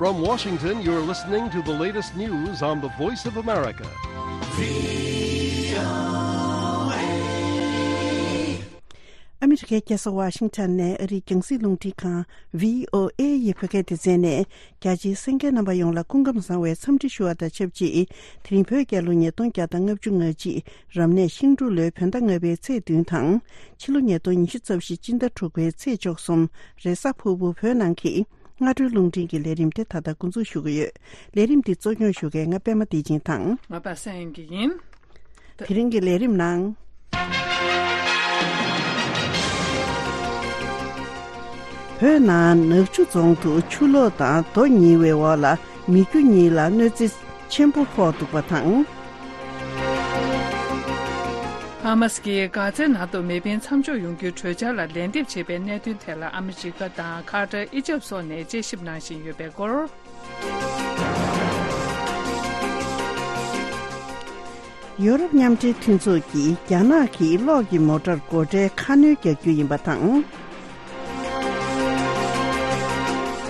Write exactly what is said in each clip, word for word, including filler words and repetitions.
From Washington, you're listening to the latest news on the Voice of America. ཨ་མི་རི་ཀའི་རྒྱལ་ས་ཝ་ཤིང་ཊོན་ནས་ཨ་རིའི་རྒྱང་སྲིང་རླུང་འཕྲིན་ཁང་བྷི་ཨོ་ཨེ་ཡི་བོད་སྐད་སྡེ་ཚན་ནས། རྒྱ་ཆེའི་གསན་མཁན་རྣམ་པ་ཡོངས་ལ་སྐུ་ཁམས་བཟང་བའི་འཚམས་འདྲི་ཞུ་བ་དང་ཆབས་ཅིག་དེ་རིང་བོད་རྒྱལ་ལོ་ཉིས་སྟོང་བརྒྱ་དང་ལྔ་བཅུ་ང་གཅིག་རབ་གནས་ཤིང་འབྲུག་ལོའི་བོད་ཟླ་ལྔ་པའི་ཚེས་བདུན་དང་། ཕྱི་ལོ་ཉིས་སྟོང་ཉི་ཤུ་རྩ་བཞི་སྤྱི་ཟླ་དྲུག་པའི་ཚེས་བཅུ་གསུམ་རེས་གཟའ་ཕུར་བུ་བོད་ནང་གི་སྔ་དྲོའི་རླུང་འཕྲིན་གྱི་ལས་རིམ་དེ་ད་ལྟ་འགོ་འཛུགས་ཞུ་གི་ཡོད། ལས་རིམ་འདི་གཙོ་སྐྱོང་ཞུ་མཁན་ང་པད་མ་བདེ་ཆེན་དང་། ང་པ་སངས་དབྱངས་སྐྱིད་ཡིན། དེ་རིང་གི་ལས་རིམ་ནང་། བོད་ནང་ནག་ཆུ་རྫོང་དུ་ཆུ་ལོག་དང་རྡོ་ཉིལ་བའི་འོག་ལ་མི་རྒྱུ་གཉིས་ལ་གནོད་འཚེ་ཆེན་པོ་ཕོག་འདུག་པ་དང་། ཧ་མ་སི་ཀྱིས་གྷ་ཛའི་ནང་དུ་མེ་འཕེན་མཚམས་འཇོག་ཡོང་རྒྱུའི་གྲོས་འཆར་ལ་ལན་འདེབས་བྱས་པའི་གནད་དོན་ཐད་ལ་ཨ་མི་རི་ཀ་དང་ཁ་ཏར། ཨི་ཇེབ་སོགས་ནས་དཔྱད་ཞིབ་གནང་བཞིན་ཡོད་པའི་སྐོར། ཡོ་རོབ་མཉམ་འབྲེལ་མཐུན་ཚོགས་ཀྱིས་རྒྱ་ནག་གིས་གློག་གི་མོ་ཊར་སྒོ་ཁྲལ་ཁ་སྣོན་རྒྱག་རྒྱུ་ཡིན་པ་དང་།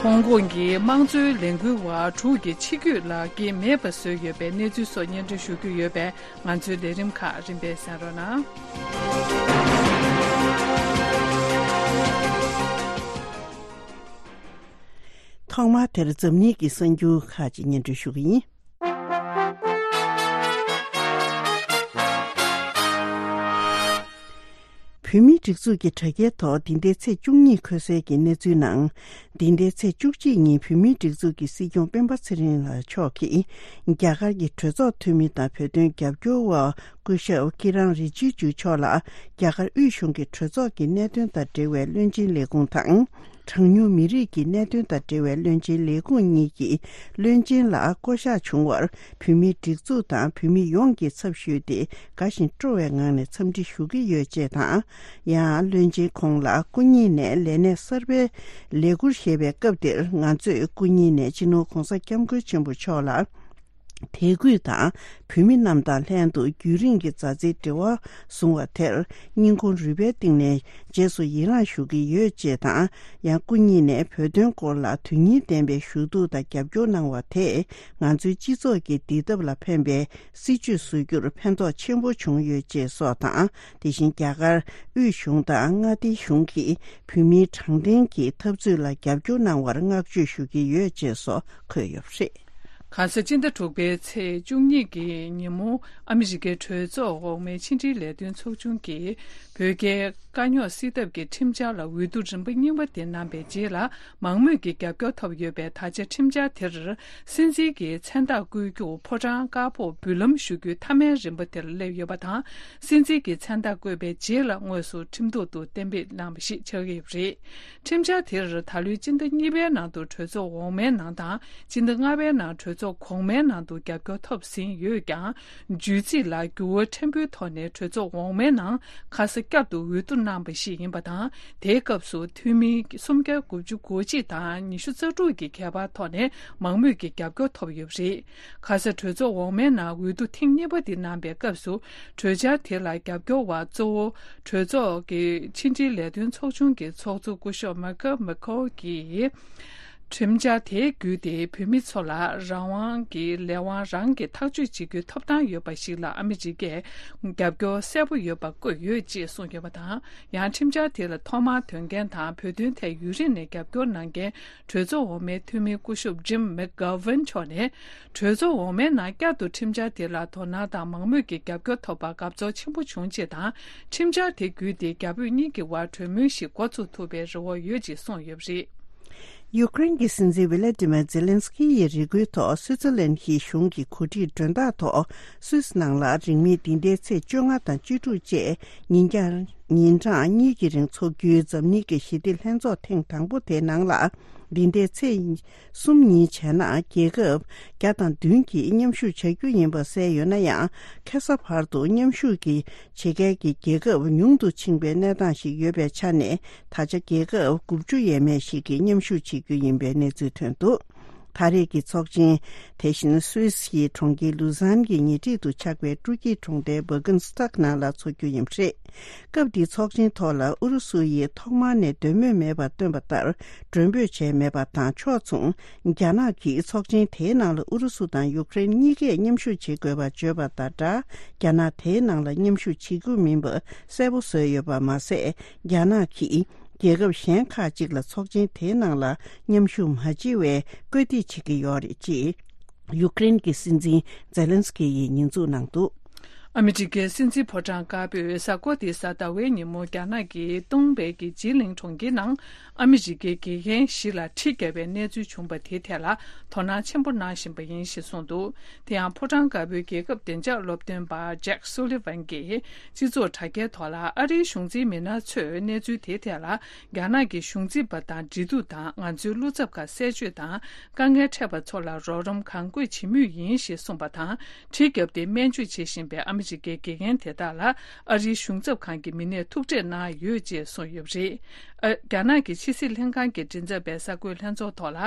ཧོང་ཀོང་གི་དམངས་གཙོའི་ལས་འགུལ་བ་དྲུག་གི་ཕྱི་སྐྱོད་ལག་འཁྱེར་མེད་པ་བཟོས་ཡོད་པའི་གནས་ཚུལ་སོགས་སྙན་སྒྲོན་ཞུ་རྒྱུ་ཡོད་པས། ང་ཚོའི་ལས་རིམ་ཁག་རིམ་པས་གསན་རོགས་གནང་། ཐོག་མར་དེར་འཛམ་གླིང་གི་གསར་འགྱུར་ཁག་ཅིག་སྙན་སྒྲོན་ཞུ་གི་ཡིན། བོད་མིའི་སྒྲིག་འཛུགས་ཀྱི་དྲ་རྒྱའི་ཐོག་འདི་ཟླའི་ཚེས་བཅུ་གཉིས་འཁོད་གསལ་གྱི་གནས་ཚུལ་ནང་། འདི་ཟླའི་ཚེས་བཅུ་གཅིག་ཉིན་བོད་མིའི་སྒྲིག་འཛུགས་ཀྱི་སྲིད་སྐྱོང་སྤེན་པ་ཚེ་རིང་ལགས་མཆོག་གིས་རྒྱ་གར་གྱི་གྲོས་ཚོགས་འཐུས་མི་དང་བོད་དོན་རྒྱབ་སྐྱོར་བ་སྐུ་ཞབས་ཀི་རན་རི་ཇི་ཇུ་མཆོག་ལ་རྒྱ་གར་དབུས་གཞུང་གི་གྲོས་ཚོགས་ཀྱི་གནད་དོན་དང་འབྲེལ་བའི་བློན་ཆེན་ལས་ཁུངས་དང་། གྲངས་ཉུང་མི་རིགས་ཀྱི་གནད་དོན་དང་འབྲེལ་བའི་བློན་ཆེན་ལས་ཁུངས་གཉིས་ཀྱི་བློན་ཆེན་ལ་བསྐོ་གཞག་བྱུང་བར་བོད་མིའི་སྒྲིག་འཛུགས་དང་བོད་མི་ཡོངས་ཀྱི་ཚབ་ཞུས་ཏེ་དགའ་ཞིང་སྤྲོ་བའི་ངང་ནས་འཚམས་འདྲི་ཞུ་གི་ཡོད་ཅེས་དང་། ཡང་བློན་ཆེན་ཁོང་ལ་སྐུ་ཉིད་ནས་ལས་གནས་གསར་པའི་ལས་ཁུར་བཞེས་པའི་སྐབས་འདིར་ང་ཚོས་སྐུ་ཉིད་ནས་སྤྱི་ནོར་༧གོང་ས་༧སྐྱབས་མགོན་ཆེན་པོ་མཆོག་ལ། དད་གུས་དང་བོད་མི་རྣམས་དང་ལྷན་དུ་རྒྱུན་རིང་གི་མཛའ་བརྩེའི་འབྲེལ་བ་བཟུང་བ་དེར་སྙིང་ཁོང་རུས་པའི་གཏིང་ནས་རྗེས་སུ་ཡི་རངས་ཞུ་གི་ཡོད་ཅེས་དང་། ཡང་སྐུ་ཉིད་ནས་བོད་དོན་སྐོར་ལ་དོན་སྙིང་ལྡན་པའི་ཞུ་གཏུག་དང་རྒྱབ་སྐྱོར་གནང་བ་དེས་ང་ཚོའི་སྤྱི་ཚོགས་ཀྱི་བདེ་ཐབས་ལ་ཕན་པའི་སྲིད་བྱུས་བཟོ་རྒྱུར་ཕན་ཐོགས་ཆེན་པོ་བྱུང་ཡོད་ཅེས་སོགས་དང་། དེ་བཞིན་རྒྱ་གར་དབུས་གཞུང་དང་མངའ་སྡེའི་གཞུང་གིས་བོད་མིའི་དྲང་བདེན་གྱི་འཐབ་རྩོད་ལ་རྒྱབ་སྐྱོར་གནང་བར་བསྔགས་བརྗོད་ཞུ་གི་ཡོད་ཅེས་སོགས་འཁོད་ཡོད་པ་རེད། གང་ཟག་སྤྱི་ཟླ་དྲུག་པའི་ཚེས་བཅུ་གཉིས་ཀྱི་ཉིན་མོ། ཨ་མི་རི་ཀའི་གྲོས་ཚོགས་འོག་མའི་ཕྱི་འབྲེལ་ལས་དོན་ཚོགས་ཆུང་གིས་བོད་རྒྱའི་དཀའ་རྙོག་སེལ་ཐབས་ཀྱི་ཁྲིམས་འཆར་ལ་འོས་བསྡུ་རིམ་པ་གཉིས་པ་དེ་གནང་པའི་རྗེས་ལ། མང་མོས་ཀྱི་རྒྱབ་སྐྱོར་ཐོབ་ཡོད་པས། ད་ཆ་ཁྲིམས་འཆར་དེར་སྲིད་འཛིན་གྱི་མཚན་རྟགས་བཀོད་རྒྱུ། ཕོ་བྲང་དཀར་པོར་འབུལ་ལམ་ཞུ་རྒྱུའི་མཐའ་མའི་རིམ་པ་དེར་སླེབས་ཡོད་པ་དང་། སྲིད་འཛིན་གྱི་མཚན་རྟགས་བཀོད་པའི་རྗེས་ལ་དངོས་སུ་ཁྲིམས་ཐོག་ཏུ་གཏན་འབེབས་གནང་བ་ཞིག་ཆགས་ཀྱི་ཡོད་པ་རེད། ཁྲིམས་འཆར་དེར་ད་ལོའི་སྤྱི་ཟླ་གཉིས་པའི་ནང་དུ་གྲོས་ཚོགས་འོག་མའི་ནང་དང་། སྤྱི་ཟླ་ལྔ་པའི་ནང་གྲོས་ཚོགས་གོང་མའི་ནང་དུ་རྒྱབ་སྐྱོར་ཐོབ་ཟིན་ཡོད་ཀྱང་། བརྗོད་ཚིག་ལ་འགྱུར་བ་ཕྲན་བུའི་ཐོག་ནས་གྲོས་ཚོགས་འོག་མའི་ནང་ཁ་ས་བསྐྱར་དུ་འོས་བསྡུ་གནང་བ་ཞིག་ཡིན་པ་དང་། དེའི་སྐབས་སུ་འཐུས་མི་སུམ་བརྒྱ་དགུ་བཅུ་གོ་གཅིག་དང་ཉི་ཤུ་རྩ་དྲུག་གི་ཁྱད་པར་ཐོག་ནས་མང་མོས་ཀྱི་རྒྱབ་སྐྱོར་ཐོབ་ཡོད་པ་རེད། ཁ་ས་གྲོས་ཚོགས་འོག་མའི་ནང་འོས་བསྡུ་ཐེངས་གཉིས་པ་དེ་གནང་པའི་སྐབས་སུ། གྲོས་འཆར་དེ་ལ་རྒྱབ་སྐྱོར་བ་གཙོ་བོ་གྲོས་ཚོགས་ཀྱི་ཕྱི་འབྲེལ་ལས་དོན་ཚོགས་ཆུང་གི་ཚོགས་གཙོ་སྐུ་ཞབས་མཱི་ཁེལ་མེ་ཁོལ་གྱིས། ཁྲིམས་འཆར་དེའི་བརྒྱུད་དེ་བོད་མི་ཚོ་ལ་རང་དབང་གི་ལས་དབང་རང་གིས་ཐག་གཅོད་བྱེད་རྒྱུའི་ཐོབ་ཐང་ཡོད་པ་ཞིག་ལ་ཨ་མི་རི་ཀས་རྒྱབ་སྐྱོར་གསལ་པོ་ཡོད་པ་བཀོད་ཡོད་ཅེས་གསུངས་ཡོད་པ་དང་། ཡང་ཁྲིམས་འཆར་དེ་ལ་ཐོག་མར་འདོན་མཁན་དང་བོད་དོན་ཐད་ཡུན་རིང་ནས་རྒྱབ་སྐྱོར་གནང་མཁན་གྲོས་ཚོགས་འོག་མའི་འཐུས་མི་སྐུ་ཞབས་ཇིམ་མེག་གྷ་ཝན་མཆོག་ནས། གྲོས་ཚོགས་འོག་མའི་ནང་བསྐྱར་དུ་ཁྲིམས་འཆར་དེ་ལ་དོ་སྣང་དང་མང་མོས་ཀྱི་རྒྱབ་སྐྱོར་ཐོབ་པར་དགའ་ཚོར་ཆེན་པོ་བྱུང་ཅེས་དང་། ཁྲིམས་འཆར་དེ་བརྒྱུད་དེ་རྒྱ་བོད་གཉིས་ཀྱི་དབར་གྲོས་མོལ་ཞིག་འགོ་ཚུགས་ཐུབ་པའི་རེ་བ་ཡོད་ཅེས་གསུངས་ཡོད་པ་རེད། ཡུ་ཀེ་རེན་གྱི་སྲིད་འཛིན་ཝི་ལ་ཏི་མེར་ཛེ་ལན་སི་ཀི་ཡི་རེ་སྐུལ་ཐོག་སུའི་ཙི་ལན་གྱི་གཞུང་གི་གོ་སྒྲིག་མགྲོན་བདག་ཐོག་སུད་སི་ནང་ལ་རིང་མིན་འདི་ཟླའི་ཚེས་བཅོ་ལྔ་དང་བཅུ་དྲུག་བཅས་ཉིན་རྒྱང་ཉིན་གྲངས་གཉིས་ཀྱི་རིང་འཚོགས་རྒྱུའི་འཛམ་གླིང་གི་ཞི་བདེ་ལྷན་ཚོགས་ཐེངས་དང་པོ་དེའི་ནང་ལ། འདི་ཟླའི་ཚེས་གསུམ་ཉིན་བྱས་ན་རྒྱལ་ཁབ་བརྒྱ་དང་བདུན་གྱིས་མཉམ་ཞུགས་བྱ་རྒྱུ་ཡིན་པ་གསལ་ཡོད་ན་ཡང་། ཁ་ས་བར་དུ་མཉམ་ཞུགས་ཀྱི་བྱེད་མཁན་གྱི་རྒྱལ་ཁབ་ཉུང་དུ་ཕྱིན་པའི་གནས་སྟངས་ཤིག་ཡོད་པའི་ཆ་ནས། ད་ཆ་རྒྱལ་ཁབ་དགུ་བཅུ་ཡས་མས་ཤིག་གིས་མཉམ་ཞུགས་བྱེད་རྒྱུ་ཡིན་པའི་གནས་ཚུལ་ཐོན་འདུག་ད་རེས་ཀྱི་ཚོགས་ཆེན་དེ་བཞིན་སུད་སི་ཡི་གྲོང་ཁྱེར་ལུ་ཟན་གྱི་ཉེ་འཁྲིས་དུ་ཆགས་པའི་སྤྲོ་སྐྱིད་གྲོང་རྡལ་བྷ་གྷན་སི་ཐག་ནང་ལ་འཚོགས་རྒྱུ་ཡིན་པ་རེད། སྐབས་འདིའི་ཚོགས་ཆེན་ཐོག་ལ་ཨུ་རུ་སུ་ཡིས་ཐོག་མར་ནས་འདོད་མོས་མེད་པར་བཏོན་པ་ལྟར་མགྲོན་འབོད་བྱས་མེད་པ་དང་ཕྱོགས་མཚུངས། རྒྱ་ནག་གིས་ཚོགས་ཆེན་དེའི་ནང་ལ་ཨུ་རུ་སུ་དང་ཡུཀ་རེན་གཉིས་ཀས་མཉམ་ཞུགས་བྱེད་དགོས་པ་བརྗོད་པ་དང་སྦྲགས། རྒྱ་ནག་དེའི་ནང་ལ་མཉམ་ཞུགས་བྱེད་རྒྱུ་མིན་པ་གསལ་པོ་བཟོས་ཡོད་པ་མ་ཟད། རྒྱ་ནག་གིས་རྒྱལ་ཁབ་གཞན་ཁག་ཅིག་ལ་ཚོགས་ཆེན་དེའི་ནང་ལ་མཉམ་ཞུགས་མ་བྱེད་པའི་བཀོད་སྒྲིག་བྱེད་ཀྱི་ཡོད་རེད་ཅེས། ཡུཀ་རེན་གྱི་སྲིད་འཛིན་ཛེ་ལན་སི་ཀི་ཡིས་ཉེས་འཛུགས་གནང་འདུག། ཨ་མི་རི་ཀའི་སྲིད་འཛིན་ཕོ་བྲང་དཀར་པོས་གཟའ་འཁོར་འདིའི་གཟའ་ཟླ་བའི་ཉིན་མོ་རྒྱ་ནག་གིས་སྟོང་པའི་གི་ཇི་ལིང་གྲོང་ཁྱེར་ནང་ཨ་མི་རི་ཀའི་དགེ་རྒན་བཞི་ལ་གྲི་བརྒྱབ་པའི་གནས་ཚུལ་བྱུང་པ་དེའི་ཐད་ལ་དོ་སྣང་ཆེན་པོ་གནང་བཞིན་པ་ཡིན་ཞེས་གསུངས་འདུག། དེ་ཡང་ཕོ་བྲང་དཀར་པོའི་རྒྱལ་ཁབ་བདེ་འཇགས་སློབ་སྟོན་པ་ཇེག་སུ་ལི་ཝན་གྱིས་སྤྱི་ཚོགས་དྲ་རྒྱའི་ཐོག་ལ་ཨ་རིའི་གཞུང་འཛིན་མི་སྣ་ཚོས་གནས་ཚུལ་དེའི་ཐད་ལ། རྒྱ་ནག་གི་གཞུང་འཛིན་པ་དང་འབྲེལ་གཏུག་དང་ང་ཚོའི་བློ་འཚབ་ཁག་གསལ་བརྗོད་དང་དཀའ་ངལ་འཕྲད་པ་ཚོ་ལ་རོགས་རམ་གང་དགོས་བྱེད་མུས་ཡིན་ཞེས་གསུངས་པ་དང་། གྲི་བརྒྱབ་སྟེ་སྨན་བཅོས་བྱེད་བཞིན་པའི་ཨ་མི་རི་ཀའི་དགེ་རྒན་དེ་དག་ལ་ཨ་རིའི་གཞུང་ཚབ་ཁང་གི་མི་སྣས་ཐུག་འཕྲད་གནང་ཡོད་ཅེས་གསུངས་ཡོད་པ་རེད། ཨ། རྒྱ་ནག་གི་ཕྱི་སྲིད་ལྷན་ཁང་གི་མགྲིན་ཚབ་པས་གསར་འགོད་ལྷན་ཚོགས་ཐོག་ལ་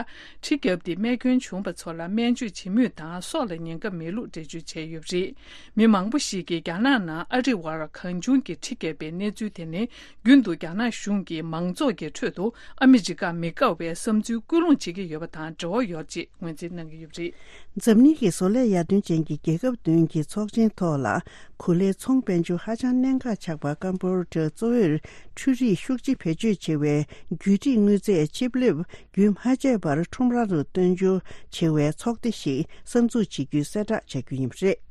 གྲི་བརྒྱབ་སྟེ་རྨས་སྐྱོན་བྱུང་བ་ཚོ་ལ་སྨན་བཅོས་བྱེད་མུས་དང་སྲོག་ལ་ཉེན་ཁ་མེད་ལུགས་འགྲེལ་བརྗོད་བྱས་ཡོད་པ་རེད། མི་མང་པོ་ཞིག་གིས་རྒྱ་ནག་ནང་ཨ་རི་བར་གང་བྱུང་གི་གྲི་བརྒྱབ་པའི་གནས་ཚུལ་དེ་ནི། རྒྱུན་དུ་རྒྱ་ནག་གཞུང་གིས་མང་ཚོགས་ཀྱི་ཁྲོད་དུ་ཨ་མི་རི་ཀ་མི་དགའ་བའི་བསམ་ཚུལ་སྐུལ་སློང་བྱེད་ཀྱི་ཡོད་པ་དང་འབྲེལ་བ་ཡོད་ཅེས་ངོས་འཛིན་གནང་གི་ཡོད་པ་རེད། འཛམ་གླིང་གི་བཟོ་ལས་ཡར་ཐོན་ཅན་གྱི་རྒྱལ་ཁབ་བདུན་གྱི་ཚོགས་ཆེན་ཐོག་ལ། གོ་ལའི་ཚོང་དཔལ་འབྱོར་ཧ་ཅང་གནད་འགག་ཆགས་པ་ཀམ་པོ་ཌི་ཡ་གཙོ་བོར་འཕྲུལ་རིག་ཤུགས་ཆེ་བེད་སྤྱོད་བྱེད་པའི་བརྒྱུད་ཁྲིད་དངོས་རྫས་ཆིབ་ལེབ་རྒྱུན་མ་ཆད་པར་ཁྲོམ་ར་རུ་བཏོན་འབྱོར་བྱེད་པའི་ཚོགས་སྡེ་ཞིག་གསར་འཛུགས་བྱེད་རྒྱུའི་གསལ་བསྒྲགས་བྱ་རྒྱུ་ཡིན་པ་རེད།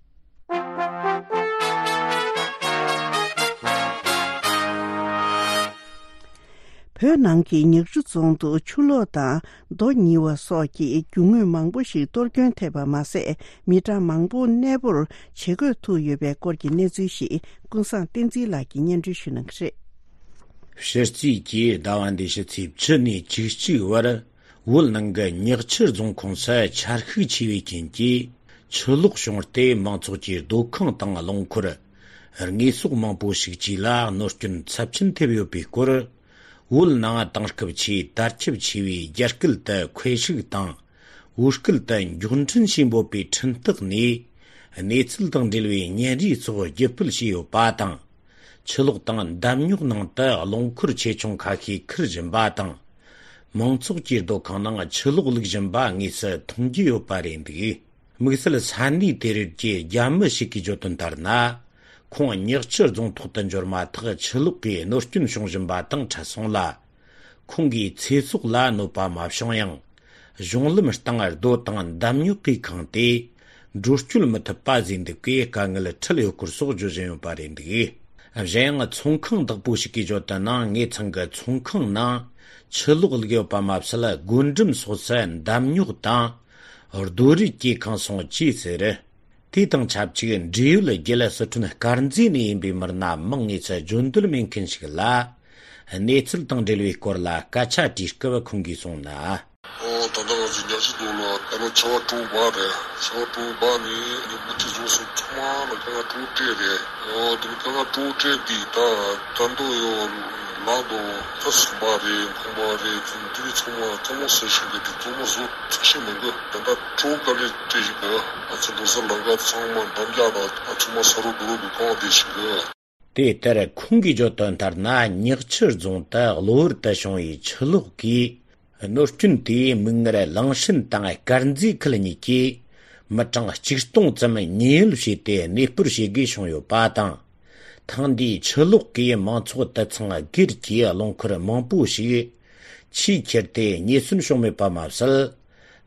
བོད་ནང་གི་ཉག་ཆུ་རྫོང་དུ་ཆུ་ལོག་དང་རྡོ་ཉིལ་བ་སོགས་ཀྱི་རྒྱུ་དངོས་མང་པོ་ཞིག་གཏོར་སྐྱོན་ཐེབས་པ་མ་ཟད། མི་གྲངས་མང་པོ་གནས་སྤོར་བྱེད་དགོས་ཐུག་ཡོད་པའི་སྐོར་གྱི་གནས་ཚུལ་ཞིག་ཀུན་བཟང་བསྟན་འཛིན་ལགས་ཀྱིས་སྙན་སྒྲོན་ཞུ་གནང་གི་རེད། ཕྱི་རྩིས་ཀྱིས་ཟླ་བ་འདིའི་ཕྱི་ཚེས་བཅུ་ནས་བཅུ་གཅིག་བར། བོད་ནང་གི་ཉག་ཆུ་རྫོང་ཁོངས་སུ་ཆར་ཤུགས་ཆེ་བའི་རྐྱེན་གྱིས་ཆུ་ལོག་བྱུང་སྟེ། མང་ཚོགས་ཀྱི་སྡོད་ཁང་དང་རླངས་འཁོར། དངོས་ཟོག་མང་པོ་ཞིག་བཅས་ལ་གནོད་སྐྱོན་ཚབས་ཆེན་ཐེབས་ཡོད་པའི་སྐོར། བོད་ནང་དེང་སྐབས་ཆེས་དར་ཁྱབ་ཆེ་བའི་རྒྱ་སྐད་དུ་ཁོའེ་ཧྲིག་དང་། བོད་སྐད་དུ་མགྱོགས་འཕྲིན་ཞེས་འབོད་པའི་འཕྲིན་སྟེགས་ནས་གནས་ཚུལ་དང་འབྲེལ་བའི་བརྙན་རིས་སོགས་བརྒྱུད་སྤེལ་བྱས་ཡོད་པ་དང་། ཆུ་ལོག་དང་འདམ་རྙོག་ནང་དུ་རླངས་འཁོར་ཆེ་ཆུང་ཁ་ཤས་ཁུར་བཞིན་པ་དང་། མང་ཚོགས་ཀྱི་སྡོད་ཁང་ནང་ཆུ་ལོག་བླུགས་བཞིན་པ་དངོས་སུ་མཐོང་རྒྱུ་ཡོད་པ་རེད་འདུག། དམིགས་བསལ་ས་གནས་དེ་རིགས་ཀྱི་རྒྱ་མི་ཞིག་གིས་བརྗོད་དོན་ལྟར་ན། ཁོང་ཉག་ཆུ་རྫོང་ཐོག་ཏུ་འབྱོར་མ་ཐག་ཆུ་ལོག་གིས་གནོད་སྐྱོན་བྱུང་བཞིན་པ་དང་འཕྲད་སོང་ལ། ཁོང་གི་ཚེ་སྲོག་ལ་གནོད་པ་མ་བྱུང་ཡང་། གཞུང་ལམ་སྟེང་རྡོ་དང་འདམ་རྙོག་གིས་ཁེངས་ཏེ། འགྲོ་སྐྱོད་མི་ཐུབ་པ་བཟོས་འདུག་པས་དཀའ་ངལ་འཕྲད་ཡོད་སྐོར་སོགས་བརྗོད་བཞིན་ཡོད་པ་རེད་འདུག། གཞན་ཡང་ཚོང་ཁང་བདག་པོ་ཞིག་གིས་བརྗོད་དོན་ནང་། ངའི་ཚང་གི་ཚོང་ཁང་ནང་ཆུ་ལོག་བླུགས་ཡོད་པ་མ་ཟད། སྒོ་འགྲམ་སོགས་སུ་འདམ་རྙོག་དང་རྡོ་རིགས་ཀྱིས་ཁེངས་སོང་ཅེས་ཟེར། དེ་དང་ཆབས་ཅིག་འབྲེལ་ཡོད་རྒྱལ་སི་ཁྲོན་དཀར་མཛེས་ནས་ཡིན་པའི་མི་སྣ་མང་ངེས་ཚོ་བརྗོད་འདོད་མེད་མཁན་ཞིག་ལ། གནས་ཚུལ་དང་འབྲེལ་བའི་སྐོར་ལ་སྐད་ཆ་དྲིས་སྐབས་ཁོང་གིས་གསུངས་ན། ཨོ། ད་ལྟ་ང་ཚོ་ཉག་ཆུ་རྫོང་ལ་ད་ལོ་ཆར་པ་དྲོ་པ་རེད། ཆར་པ་དྲོ་པ་ནས་ཉི་མ་ཐིག་རྫོང་སོགས་ཚང་མ་ལ་དཀའ་ངལ་དྲག་སྤྲད་རེད། ཨོ། དེ་ནས་དཀའ་ངལ་དྲག་སྤྲད་དེ་ད་ད་དུང་ཡོད་ལག་དང་ད་ཟམ་པ་རེད། ཁང་པ་རེད། དེ་ཚོ་ཚང་མ་གཙང་མ་བཟོ་བཞིན་གི་དེ་གཙང་མ་བཟོ་ཐུབ་བཞིན་མི་འདུག། ད་ལྟ་དྲོ་དཀའ་ལས་སྤྲད་བཞིན་གི། ང་ཚོ་འགྲོ་ས་ལམ་ཁ་ཚང་མ་འདམ་རྒྱག་དང་ཨ་ཚང་མ་ས་རུབ་རྡོ་རུབ་གི་གང་བསྡད་བཞིན་གི། དེ་ལྟར་ཁོང་གིས་བརྗོད་དོན་ལྟར་ན། ཉག་ཆུ་རྫོང་དུ་གློ་བུར་དུ་བྱུང་བའི་ཆུ་ལོག་གིས་གནོད་སྐྱོན་དེས་མིག་སྔར་གླིང་ཕྲན་དང་དཀར་མཛེས་ཁུལ་གཉིས་ཀྱི་མི་གྲངས་གཅིག་སྟོང་ཙམ་ཉེན་གཡོལ་བྱས་ཏེ་གནས་སྤོར་བྱེད་དགོས་བྱུང་ཡོད་པ་དང་། ཐེངས་འདིའི་ཆུ་ལོག་གིས་མང་ཚོགས་དུད་ཚང་སྒེར་གྱི་རླངས་འཁོར་མང་པོ་ཞིག་ཆུས་ཁྱེར་ཏེ་ཉེན་ཟོན་བྱུང་མེད་པ་མ་ཟད།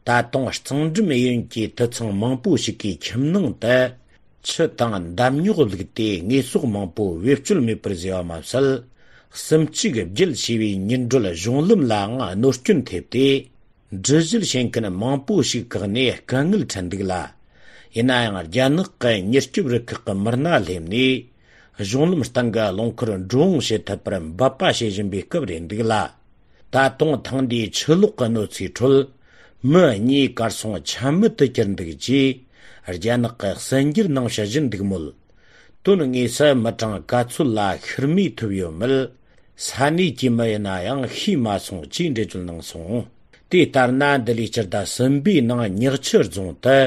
ད་དུང་གཙང་འགྲམ་གཡས་གཡོན་གྱི་དུད་ཚང་མང་པོ་ཞིག་གི་ཁྱིམ་ནང་དུ་ཆུ་དང་འདམ་རྙོག་བླུགས་ཏེ་དངོས་ཟོག་མང་པོ་བེད་སྤྱོད་མེད་པར་བཟོས་པ་མ་ཟད། གསུམ་གཅིག་བརྒྱུད་བྱས་པའི་མྱུར་བགྲོད་གཞུང་ལམ་ལའང་གནོད་སྐྱོན་ཐེབས་ཏེ། འགྲུལ་བཞུད་བྱེད་མཁན་མང་པོ་ཞིག་བཀག་ནས་དཀའ་ངལ་འཕྲད་འདུག་ལ། ཡིན་ན་ཡང་རྒྱ་ནག་གི་མྱུར་སྐྱོབ་རུ་ཁག་གི་མི་སྣ་སླེབས་ནས་གཞུང་ལམ་སྟེང་གི་རླངས་འཁོར་འགྲོ་འོང་བྱེད་ཐུབ་པར་འབད་པ་བྱེད་བཞིན་པའི་སྐབས་རེད་འདུག་ལ། ད་དུང་ཐེངས་འདིའི་ཆུ་ལོག་གི་གནོད་འཚེའི་ཁྲོད་མི་གཉིས་གར་སོང་ཆ་མེད་དུ་གྱུར་འདུག་ཅེས་རྒྱ་ནག་གིས་གསལ་འགྱུར་ནང་བཤད་བཞིན་འདུག་མོད། དོན་དངོས་སུ་མི་གྲངས་ག་ཚོད་ལ་ཤི་རྨས་ཐེབས་ཡོད་མེད་ས་གནས་ཀྱི་མི་ཡིན་ན་ཡང་ཤེས་མ་སོང་ཅེས་འགྲེལ་བརྗོད་གནང་སོང་། དེ་ལྟར་ན་འདི་ལོའི་སྤྱི་ཟླ་གསུམ་པའི་ནང་ཉག་ཆུ་རྫོང་དུ་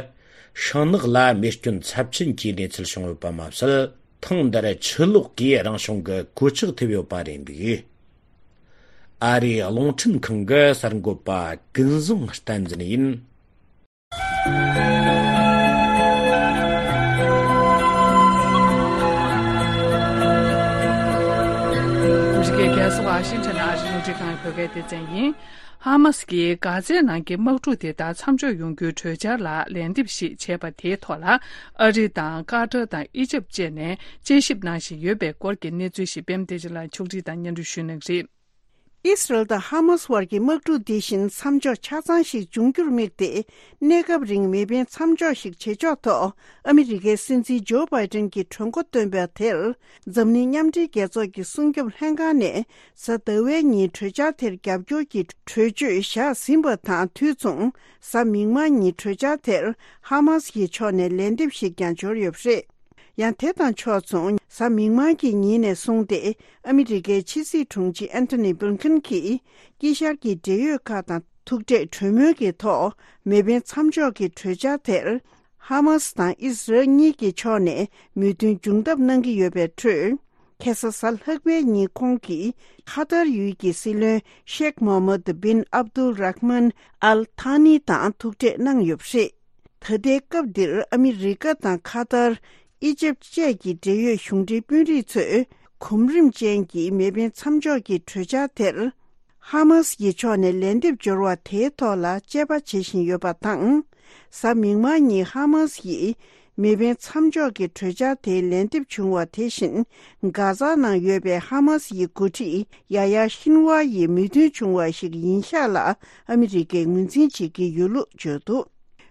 ཤིང་ནགས་ལ་རྨས་སྐྱོན་ཚབས་ཆེན་གྱི་གནས་ཚུལ་བྱུང་ཡོད་པ་མ་ཟད། ཐེངས་འདིར་ཆུ་ལོག་གིས་རང་བྱུང་གི་གོད་ཆག་ཐེབས་ཡོད་པ་རེད་འདུག་ཨ་རིའི་རླུང་འཕྲིན་ཁང་གི་གསར་འགོད་པ་ཀུན་བཟང་བསྟན་འཛིན་ཡིན། ཨ་མི་རི་ཀའི་རྒྱལ་ས་ཝ་ཤིང་ཊོན་ཨ་རིའི་རླུང་འཕྲིན་ཁང་བོད་སྐད་སྡེ་ཚན་ཡིན། ཧ་མ་སི་གིས་གྷ་ཛའི་ནང་གི་དམག་འཁྲུག་དེ་དག་མཚམས་འཇོག་ཡོང་རྒྱུའི་གྲོས་འཆར་ལ་ལན་འདེབས་ཤིག་བྱས་པ་དེའི་ཐོག་ལ། ཨ་རི་དང་ཀ་ཏར་དང་ཨི་ཇིབ་བཅས་ནས་དཔྱད་ཞིབ་གནང་བཞིན་ཡོད་པའི་སྐོར་གྱི་གནས་ཚུལ་ཞིག་པད་མ་བདེ་ཆེན་ལགས་ཕྱོགས་སྒྲིག་དང་སྙན་སྒྲོན་ཞུ་གནང་གི་རེད། ཨི་སི་རལ་དང་ཧ་མ་སི་བར་གྱི་དམག་འཁྲུག་འདི་བཞིན་མཚམས་འཇོག་ཆ་ཚང་ཞིག་འབྱུང་རྒྱུར་དམིགས་ཏེ། གནས་སྐབས་རིང་མེ་འཕེན་མཚམས་འཇོག་ཞིག་བྱེད་ཕྱོགས་ཐོག་ཨ་མི་རི་ཀའི་སྲིད་འཛིན་ཇོ་བྷའི་ཏན་གྱིས་གྲོས་འགོ་བཏོན་པ་དེར། འཛམ་གླིང་མཉམ་འབྲེལ་རྒྱལ་ཚོགས་ཀྱི་སྲུང་སྐྱོབ་ལྷན་ཁང་ནས་གཟའ་ཟླ་བའི་ཉིན་གྲོས་འཆར་དེར་རྒྱབ་སྐྱོར་གྱི་གྲོས་ཆོད་བཞག་ཟིན་པ་དང་དུས་མཚུངས། གཟའ་མིག་དམར་ཉིན་གྲོས་འཆར་དེར་ཧ་མ་སི་ཡི་ཕྱོགས་ནས་ལན་འདེབས་ཤིག་ཀྱང་འབྱོར་ཡོད་པ་རེད། ཡང་དེ་དང་ཕྱོགས་མཚུངས། གཟའ་མིག་དམར་གྱི་ཉིན་ནས་བཟུང་སྟེ། ཨ་མི་རི་ཀའི་ཕྱི་སྲིད་དྲུང་ཆེ་ཨན་ཐོ་ནི་བྷིལ་ཁིན་གྱིས་དཀྱིལ་ཤར་གྱི་འབྲེལ་ཡོད་ཁག་དང་ཐུག་འཕྲད་གྲོས་མོལ་གྱི་ཐོག་མེ་འཕེན་མཚམས་འཇོག་གི་གྲོས་འཆར་དེར། ཧ་མ་སི་དང་ཨི་སི་རལ་གཉིས་ཀྱི་ཕྱོགས་ནས་མོས་མཐུན་འབྱུང་ཐབས་གནང་གི་ཡོད་པའི་ཁྲོད། ཁ་སང་གཟའ་ལྷག་པའི་ཉིན་ཁོང་གིས་ཁ་ཐར་ཡུལ་གྱི་སྲིད་བློན་ཤེག་མོ་ཧམ་མད་བིན་ཨབ་དུལ་རཱ་མན་ཨལ་ཐཱ་ནི་དང་ཐུག་འཕྲད་གནང་ཡོད་པ་རེད། ད་ལྟའི་སྐབས་འདིར་ཨ་མི་རི་ཀ་དང་ཁ་ཐར། ཨི་ཇིབ་བཅས་ཀྱི་འབྲེལ་ཡོད་གཞུང་འབྲེལ་དཔོན་རིགས་ཚོས་གོམ་རིམ་ཅན་གྱི་མེ་འཕེན་མཚམས་འཇོག་གི་གྲོས་འཆར་དེར། ཧ་མ་སི་ཡི་ཕྱོགས་ནས་ལན་འདེབས་འབྱོར་བ་དེའི་ཐོག་ལ་དཔྱད་པ་བྱེད་བཞིན་ཡོད་པ་དང་། གཟའ་མིག་དམར་ཉིན་ཧ་མ་སི་ཡིས་མེ་འཕེན་མཚམས་འཇོག་གི་གྲོས་འཆར་དེའི་ལན་འདེབས་བྱུང་བ་དེ་བཞིན། གྷ་ཛ་ནང་ཡོད་པའི་ཧ་མ་སི་ཡི་འགོ་ཁྲིད་ཡ་ཡ་ཤིན་ཝར་ཡིས་མོས་མཐུན་བྱུང་བ་ཞིག་ཡིན་ཤག་ལ་ཨ་མི་རི་ཀས་ངོས་འཛིན་བྱེད་ཀྱི་ཡོད་ལུགས་བརྗོད་འདུག་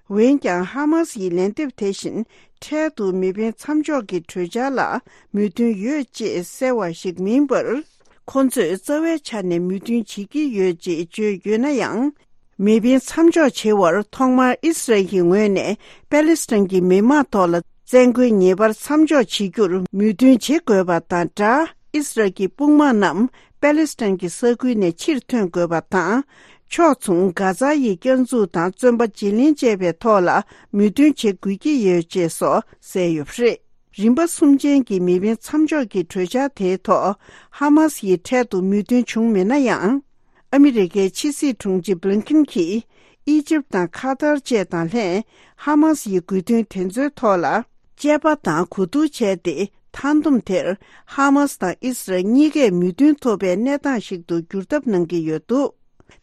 འོན་ཀྱང་ཧ་མ་སི་ཡི་ལན་འདེབས་དེ་བཞིན་འཕྲལ་དུ་མེ་འཕེན་མཚམས་འཇོག་གི་གྲོས་འཆར་ལ་མོས་མཐུན་ཡོད་ཅེས་གསལ་བ་ཞིག་མིན་པར། ཁོ་ཚོས་རྩ་བའི་ཆ་ནས་མོས་མཐུན་བྱེད་ཀྱི་ཡོད་ཅེས་བརྗོད་ཡོད་ན་ཡང་། མེ་འཕེན་མཚམས་འཇོག་བྱེད་པར་ཐོག་མར་ཨི་སི་རལ་གྱི་ངོས་ནས་པ་ལི་སི་ཐན་གྱི་མི་དམངས་ཐོག་ལ་བཙན་རྒོལ་ངེས་པར་མཚམས་འཇོག་བྱེད་རྒྱུར་མོས་མཐུན་བྱེད་དགོས་པ་དང་སྦྲགས། ཨི་སི་རལ་གྱི་དཔུང་དམག་རྣམས་པ་ལི་སི་ཐན་གྱི་ས་ཁུལ་ནས་ཕྱིར་ཐོན་དགོས་པ་དང་། ཕྱོགས་མཚུངས་གྷ་ཛ་ཡི་བསྐྱར་འཛུགས་དང་བཙོན་པ་བརྗེ་ལེན་བཅས་པའི་ཐོག་ལ་མོས་མཐུན་བྱེད་དགོས་ཀྱི་ཡོད་ཅེས་སོགས་གསལ་ཡོད་པ་རེད། རིམ་པ་གསུམ་ཅན་གྱི་མེ་འཕེན་མཚམས་འཇོག་གི་གྲོས་འཆར་དེའི་ཐོག་ཧ་མ་སི་ཡིས་འཕྲལ་དུ་མོས་མཐུན་བྱུང་མེད་ན་ཡང་། ཨ་མི་རི་ཀའི་ཕྱི་སྲིད་དྲུང་ཆེ་བྷི་ལིན་ཁིན་གྱིས་ཨི་ཇིབ་དང་ཁ་ཐར་བཅས་དང་ལྷན་ཧ་མ་སི་ཡི་དགོས་འདུན་དེ་ཚོའི་ཐོག་ལ་དཔྱད་པ་དང་གོ་བསྡུར་བྱས་ཏེ། མཐའ་སྡོམ་དེར་ཧ་མ་སི་དང་ཨི་སི་རལ་གཉིས་ཀས་མོས་མཐུན་ཐོབ་པའི་གནས་སྟངས་ཤིག་ཏུ་བསྒྱུར་ཐབས་གནང་གི་ཡོད་འདུག་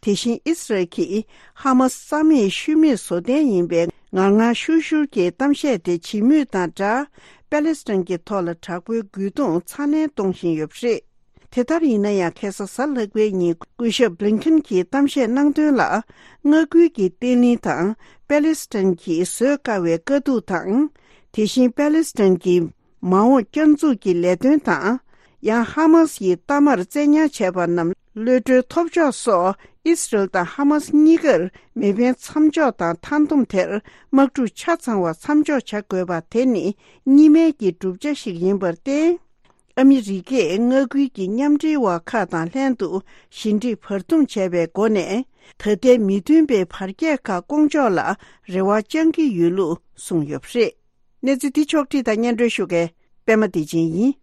དེ་བཞིན་ཨི་སི་རལ་གྱིས་ཧ་མ་སི་རྩ་མེད་ཤུལ་མེད་བཟོ་གཏན་ཡིན་པའི་ངར་ངར་ཤུར་ཤུར་གྱི་གཏམ་བཤད་དེ་བྱེད་མུས་དང་སྦྲགས། པ་ལི་སི་ཐན་གྱི་ཐོག་ལ་དྲག་པོའི་རྒོལ་རྡུང་ཚ་ནན་གཏོང་བཞིན་ཡོད་པ་རེད། དེ་ལྟར་ཡིན་ན་ཡང་། ཁ་སང་གཟའ་ལྷག་པའི་ཉིན་སྐུ་ཞབས་བྷི་ལིན་ཁིན་གྱིས་གཏམ་བཤད་གནང་དོན་ལ། མངའ་ཁུལ་གྱི་བརྟན་ལྷིང་དང་པ་ལི་སི་ཐན་གྱིས་བཟོད་དཀའ་བའི་དཀའ་སྡུག་དང་། དེ་བཞིན་པ་ལི་སི་ཐན་གྱི་མ་འོངས་བསྐྱར་འཛུགས་ཀྱི་ལས་དོན་དང་། ཡང་ཧ་མ་སི་ཡི་གཏའ་མར་བཙན་ཉར་བྱས་པ་རྣམས་གློད་གྲོལ་ཐོབ་ཕྱོགས་སོགས། ཨི་སི་རལ་དང་ཧ་མ་སི་གཉིས་ཀར་མེ་འཕེན་མཚམས་འཇོག་དང་མཐའ་སྡོམ་དེར་དམག་འཁྲུག་ཆ་ཚང་བ་མཚམས་འཇོག་བྱ་དགོས་པ་དེ་ནི་གཉིས་སྨན་གྱི་བསྒྲུབ་བྱ་ཞིག་ཡིན་པར་བརྟེན། ཨ་མི་རི་ཀས་མངའ་ཁུལ་གྱི་མཉམ་འབྲེལ་བ་ཁག་དང་ལྷན་དུ་ཞི་འགྲིག་བར་འདུམ་བྱས་པའི་སྒོ་ནས། ད་ལྟའི་མི་མཐུན་པའི་བར་ཁྱད་ཁག་སྐོང་ཕྱོགས་ལ་རེ་བ་བཅང་གི་ཡོད་ལུགས་གསུངས་ཡོད་པ་རེད། གནས་ཚུལ་འདི་ཕྱོགས་བསྒྲིགས་དང་སྙན་སྒྲོན་ཞུ་མཁན་པད་མ་བདེ་ཆེན་ཡིན།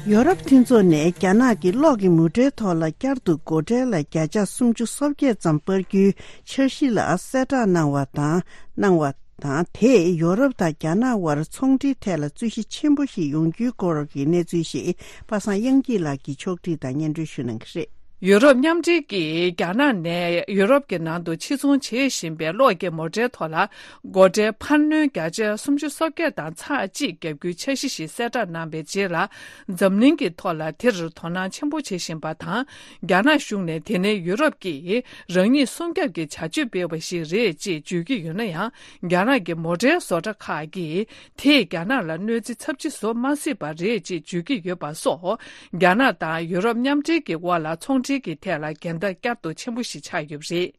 ཡོ་རོབ་མཐུན་ཚོགས་ནས་རྒྱ་ནག་གི་གློག་གི་མོ་ཊའི་ཐོག་ལ་བསྐྱར་དུ་སྒོ་ཁྲལ་ལ་བརྒྱ་ཆ་སུམ་ཅུ་སོ་བརྒྱད་ཙམ་སྤར་རྒྱུའི་འཆར་གཞི་ལ་གསལ་བསྒྲགས་གནང་བ་དང་། གནང་བ་དང་། དེས་ཡོ་རོབ་དང་རྒྱ་ནག་དབར་ཚོང་འབྲེལ་ཐད་ལ་རྩོད་གཞི་ཆེན་པོ་ཞིག་ཡོང་རྒྱུའི་སྐོར་གྱི་གནས་ཚུལ་ཞིག་པ་སངས་དབྱངས་སྐྱིད་ལགས་ཀྱིས་ཕྱོགས་བསྒྲིགས་དང་སྙན་སྒྲོན་ཞུ་གནང་གི་རེད། ཡུ་རོབ་མཉམ་འབྲེལ་གྱིས་རྒྱ་ནག་ནས་ཡུ་རོབ་ཀྱི་ནང་དུ་ཕྱིར་ཚོང་བྱེད་བཞིན་པའི་གློག་གི་མོ་ཊའི་ཐོག་ལ་སྒོ་ཁྲལ་འཕར་སྣོན་བརྒྱ་ཆ་སུམ་ཅུ་སོ་བརྒྱད་དང་ཚེག་གཅིག་བརྒྱབ་རྒྱུའི་འཆར་གཞི་ཞིག་གསལ་བསྒྲགས་གནང་བའི་རྗེས་ལ། འཛམ་གླིང་གི་ཐོག་ལ་དེར་དོ་སྣང་ཆེན་པོ་བྱེད་བཞིན་པ་དང་། རྒྱ་ནག་གཞུང་ནས་དེ་ནི་ཡུ་རོབ་ཀྱིས་རང་ཉིད་སྲུང་སྐྱོབ་ཀྱི་བྱ་སྤྱོད་སྤེལ་བ་ཞིག་རེད་ཅེས་བརྗོད་ཀྱི་ཡོད་ན་ཡང་། རྒྱ་ནག་གི་མོ་ཊའི་བཟོ་གྲྭ་ཁག་གིས་དེས་རྒྱ་ནག་ལ་གནོད་འཚེ་ཚབས་ཆེ་བཟོ་མ་སྲིད་པ་རེད་ཅེས་བརྗོད་ཀྱི་ཡོད་པ་སོགས། རྒྱ་ནག་དང་ཡུ་རོབ་མཉམ་འབྲེལ་གྱི་དབར་ལ་ཚོང་འབྲེལ། འབྲེལ་གྱི་ཐད་ལ་འགལ་ཟླ་བསྐྱར་དུ་ཆེན་པོ་ཞིག་ཆགས་ཡོད་པ་རེད།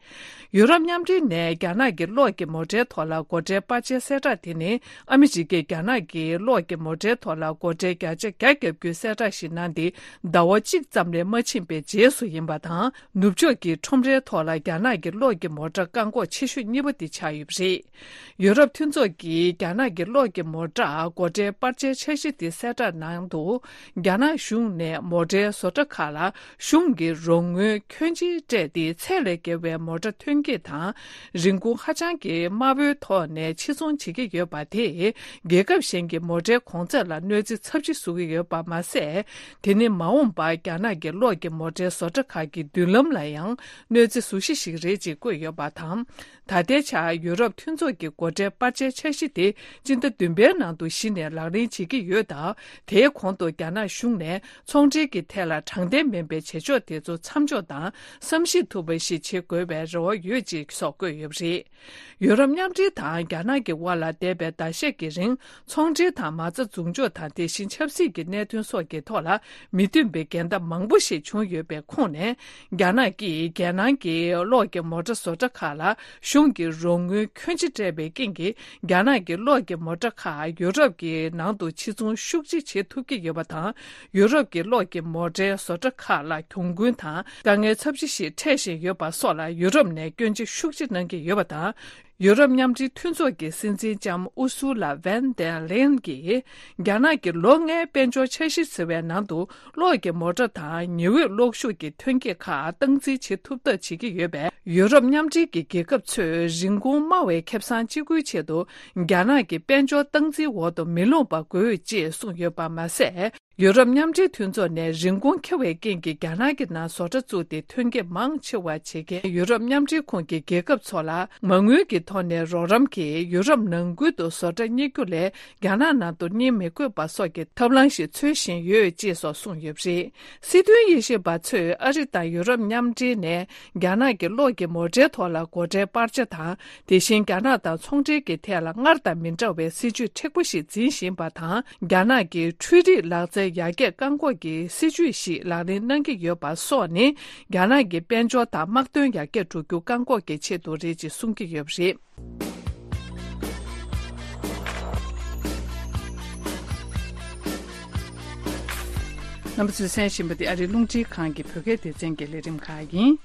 ཡུ་རོབ་མཉམ་འབྲེལ་ནས་རྒྱ་ནག་གི་གློག་གི་མོ་ཊའི་ཐོག་ལ་སྒོ་ཁྲལ་སྤར་ཆའི་གསལ་བསྒྲགས་དེ་ནི། ཨ་མི་རི་ཀས་རྒྱ་ནག་གི་གློག་གི་མོ་ཊའི་ཐོག་ལ་སྒོ་ཁྲལ་བརྒྱ་ཆ་བརྒྱ་བརྒྱབ་རྒྱུའི་གསལ་བསྒྲགས་ཤིག་གནང་སྟེ། ཟླ་བ་གཅིག་ཙམ་ལས་མ་ཕྱིན་པའི་རྗེས་སུ་ཡིན་པ་དང་། ནུབ་ཕྱོགས་ཀྱི་ཁྲོམ་རའི་ཐོག་ལ་རྒྱ་ནག་གི་གློག་གི་མོ་ཊ་བཀག་འགོག་ཆེ་ཤོས་གཉིས་པ་དེ་ཆགས་ཡོད་པ་རེད། ཡུ་རོབ་མཐུན་ཚོགས་ཀྱིས་རྒྱ་ནག་གི་གློག་གི་མོ་ཊར་སྒོ་ཁྲལ་སྤར་ཆའི་འཆར་གཞི་དེ་གསལ་བསྒྲགས་གནང་འདུག་རྒྱ་ནག་གཞུང་ནས་མོ་ཊའི་བཟོ་གྲྭ་ཁག་ལ་གཞུང་གི་རོགས་དངུལ་ཁྱོན་ཆེ་སྤྲད་དེ། ཚད་ལས་བརྒལ་བའི་མོ་ཊ་ཐོན་སྐྱེད་དང་། རིན་གོང་ཧ་ཅང་གི་དམའ་བོའི་ཐོག་ནས་ཕྱིར་ཚོང་བྱེད་ཀྱི་ཡོད་པ་དེས། རྒྱལ་ཁབ་གཞན་གྱི་མོ་ཊའི་གོང་ཚད་ལ་གནོད་འཚེ་ཚབས་ཆེ་བཟོ་གི་ཡོད་པ་མ་ཟད། དེ་ནི་མ་འོངས་པར་རྒྱ་ནག་གི་གློག་གི་མོ་ཊའི་བཟོ་གྲྭ་ཁག་གི་མདུན་ལམ་ལ་ཡང་གནོད་འཚེ་བཟོ་གཞི་ཞིག་རེད་ཅེས་བཀོད་ཡོད་པ་དང་། ད་ལྟའི་ཆར་ཡུ་རོབ་མཐུན་ཚོགས་ཀྱི་སྒོ་ཁྲལ་སྤར་ཆའི་འཆར་གཞི་དེ་སྤྱི་ཟླ་བདུན་པའི་ནང་དུ་གཞི་ནས་ལག་ལེན་བྱེད་ཀྱི་ཡོད་སྟབས། དེའི་གོང་དུ་རྒྱ་ནག་གཞུང་ནས་ཚོང་འབྲེལ་གྱི་ཐད་ལ་དྲང་བདེན་མིན་པའི་བྱེད་ཕྱོགས་དེ་ཚོ་མཚམས་འཇོག་དང་བསམ་ཤེས་ཐུབ་པ་ཞིག་བྱེད་དགོས་པའི་རེ་བ་ཡོད་ཅེས་སོགས་བཀོད་ཡོད་པ་རེད། ཡུ་རོབ་མཉམ་འབྲེལ་དང་རྒྱ་ནག་གི་དབར་ལ་འདས་པའི་ཟླ་ཤས་ཀྱི་རིང་ཚོང་འབྲེལ་དང་མ་རྩ་འཛུགས་འཇོག་དང་། དེ་བཞིན་ཆབ་སྲིད་ཀྱི་གནད་དོན་སོགས་ཀྱི་ཐོག་ལ་མི་མཐུན་པའི་འགལ་ཟླ་མང་པོ་ཞིག་བྱུང་ཡོད་པའི་ཁོངས་ནས། རྒྱ་ནག་གིས་རྒྱལ་ནང་གི་གློག་གི་མོ་ཊ་བཟོ་གྲྭ་ཁག་ལ་གཞུང་གི་རོགས་དངུལ་ཁྱོན་ཆེ་སྤྲད་པའི་རྐྱེན་གྱིས། རྒྱ་ནག་གི་གློག་གི་མོ་ཊ་ཁག་ཡུ་རོབ་ཀྱི་ནང་དུ་ཕྱིར་ཚོང་ཤུགས་ཆེ་བྱེད་ཐུབ་ཀྱི་ཡོད་པ་དང་། ཡུ་རོབ་ཀྱི་གློག་གི་མོ་ཊའི་བཟོ་གྲྭ་ཁག་ལ་གྱོང་གུན་དང་དཀའ་ངལ་ཚབས་ཆེ་ཞིག་འཕྲད་བཞིན་ཡོད་པ་སོགས་ལ་ཡུ་རོབ་ནས་སྐྱོན་བརྗོད་ཤུགས་ཆེ་གནང་གི་ཡོད་པ་དང་། ཡུ་རོབ་མཉམ་འབྲེལ་མཐུན་ཚོགས་ཀྱི་སྲིད་འཛིན་ལྕམ་ཨུ་སུ་ལ་ཝན་ཌེར་ལེན་གྱིས། རྒྱ་ནག་གི་ལོ་ལྔའི་དཔལ་འབྱོར་འཆར་གཞི་ཟེར་བའི་ནང་དུ། གློག་གི་མོ་ཊ་དང་ཉི་འོད་གློག་ཤུགས་ཀྱི་ཐོན་སྐྱེད་ཁག་སྟངས་འཛིན་བྱེད་ཐུབ་ཐབས་བྱེད་ཀྱི་ཡོད་པས། ཡུ་རོབ་མཉམ་འབྲེལ་གྱི་རྒྱལ་ཁབ་ཚོས་རིན་གོང་དམའ་བའི་ཁེ་བཟང་གཅིག་པུའི་ཆེད་དུ། རྒྱ་ནག་གི་དཔལ་འབྱོར་སྟངས་འཛིན་འོག་ཏུ་མི་ལྷུང་པ་དགོས་ཅེས་གསུངས་ཡོད་པ་མ་ཟད། ཡུ་རོབ་མཉམ་འབྲེལ་མཐུན་ཚོགས་ནས་རིན་གོང་ཁེ་བའི་རྐྱེན་གྱིས་རྒྱ་ནག་གི་ནང་བཟོ་གྲྭ་བཙུགས་ཏེ་ཐོན་སྐྱེད་མང་ཆེ་བ་བྱེད་མཁན་ཡུ་རོབ་མཉམ་འབྲེལ་ཁོངས་ཀྱི་རྒྱལ་ཁབ་ཚོ་ལ་མ་དངུལ་གྱི་ཐོག་ནས་རོགས་རམ་གྱིས་ཡུ་རོབ་ནང་ཁུལ་དུ་བཟོ་གྲྭ་གཉེར་རྒྱུ་ལས་རྒྱ་ནག་ནང་དུ་གཉེར་མི་དགོས་པ་སོགས་ཀྱི་ཐབས་ལམ་ཞིག་འཚོལ་བཞིན་ཡོད་ཅེས་སོགས་གསུངས་ཡོད་པ་རེད། སྲིད་དོན་དབྱེ་ཞིབ་པ་ཚོས་ཨ་རི་དང་ཡུ་རོབ་མཉམ་འབྲེལ་ནས་རྒྱ་ནག་གི་གློག་གི་མོ་ཊའི་ཐོག་ལ་སྒོ་ཁྲལ་སྤར་ཆ་དང་། དེ་བཞིན་རྒྱ་ནག་དང་ཚོང་འབྲེལ་གྱི་ཐད་ལ་སྔར་དང་མི་འདྲ་བའི་སྲིད་ཇུས་མཁྲེགས་པོ་ཞིག་འཛིན་བཞིན་པ་དང་། རྒྱ་ནག་གིས་འཕྲུལ་རིག་ལག་རྩལ་ཡར་རྒྱས་བཀག་འགོག་གི་སྲིད་ཇུས་ཤིག་ལག་ལེན་གནང་གི་ཡོད་པ་སོགས་ནི། རྒྱ་ནག་གི་དཔལ་འབྱོར་དང་དམག་དོན་ཡར་རྒྱས་འགྲོ་རྒྱུ་བཀག་འགོག་གི་ཆེད་དུ་རེད་ཅེས་གསུང་གི་ཡོད་པ་རེད། རྣམ་པ་ཚོས་གསན་བཞིན་པ་དེ་ཨ་རིའི་རླུང་འཕྲིན་ཁང་གི་བོད་སྐད་སྡེ་ཚན་གྱི་ལས་རིམ་ཁག་ཡིན།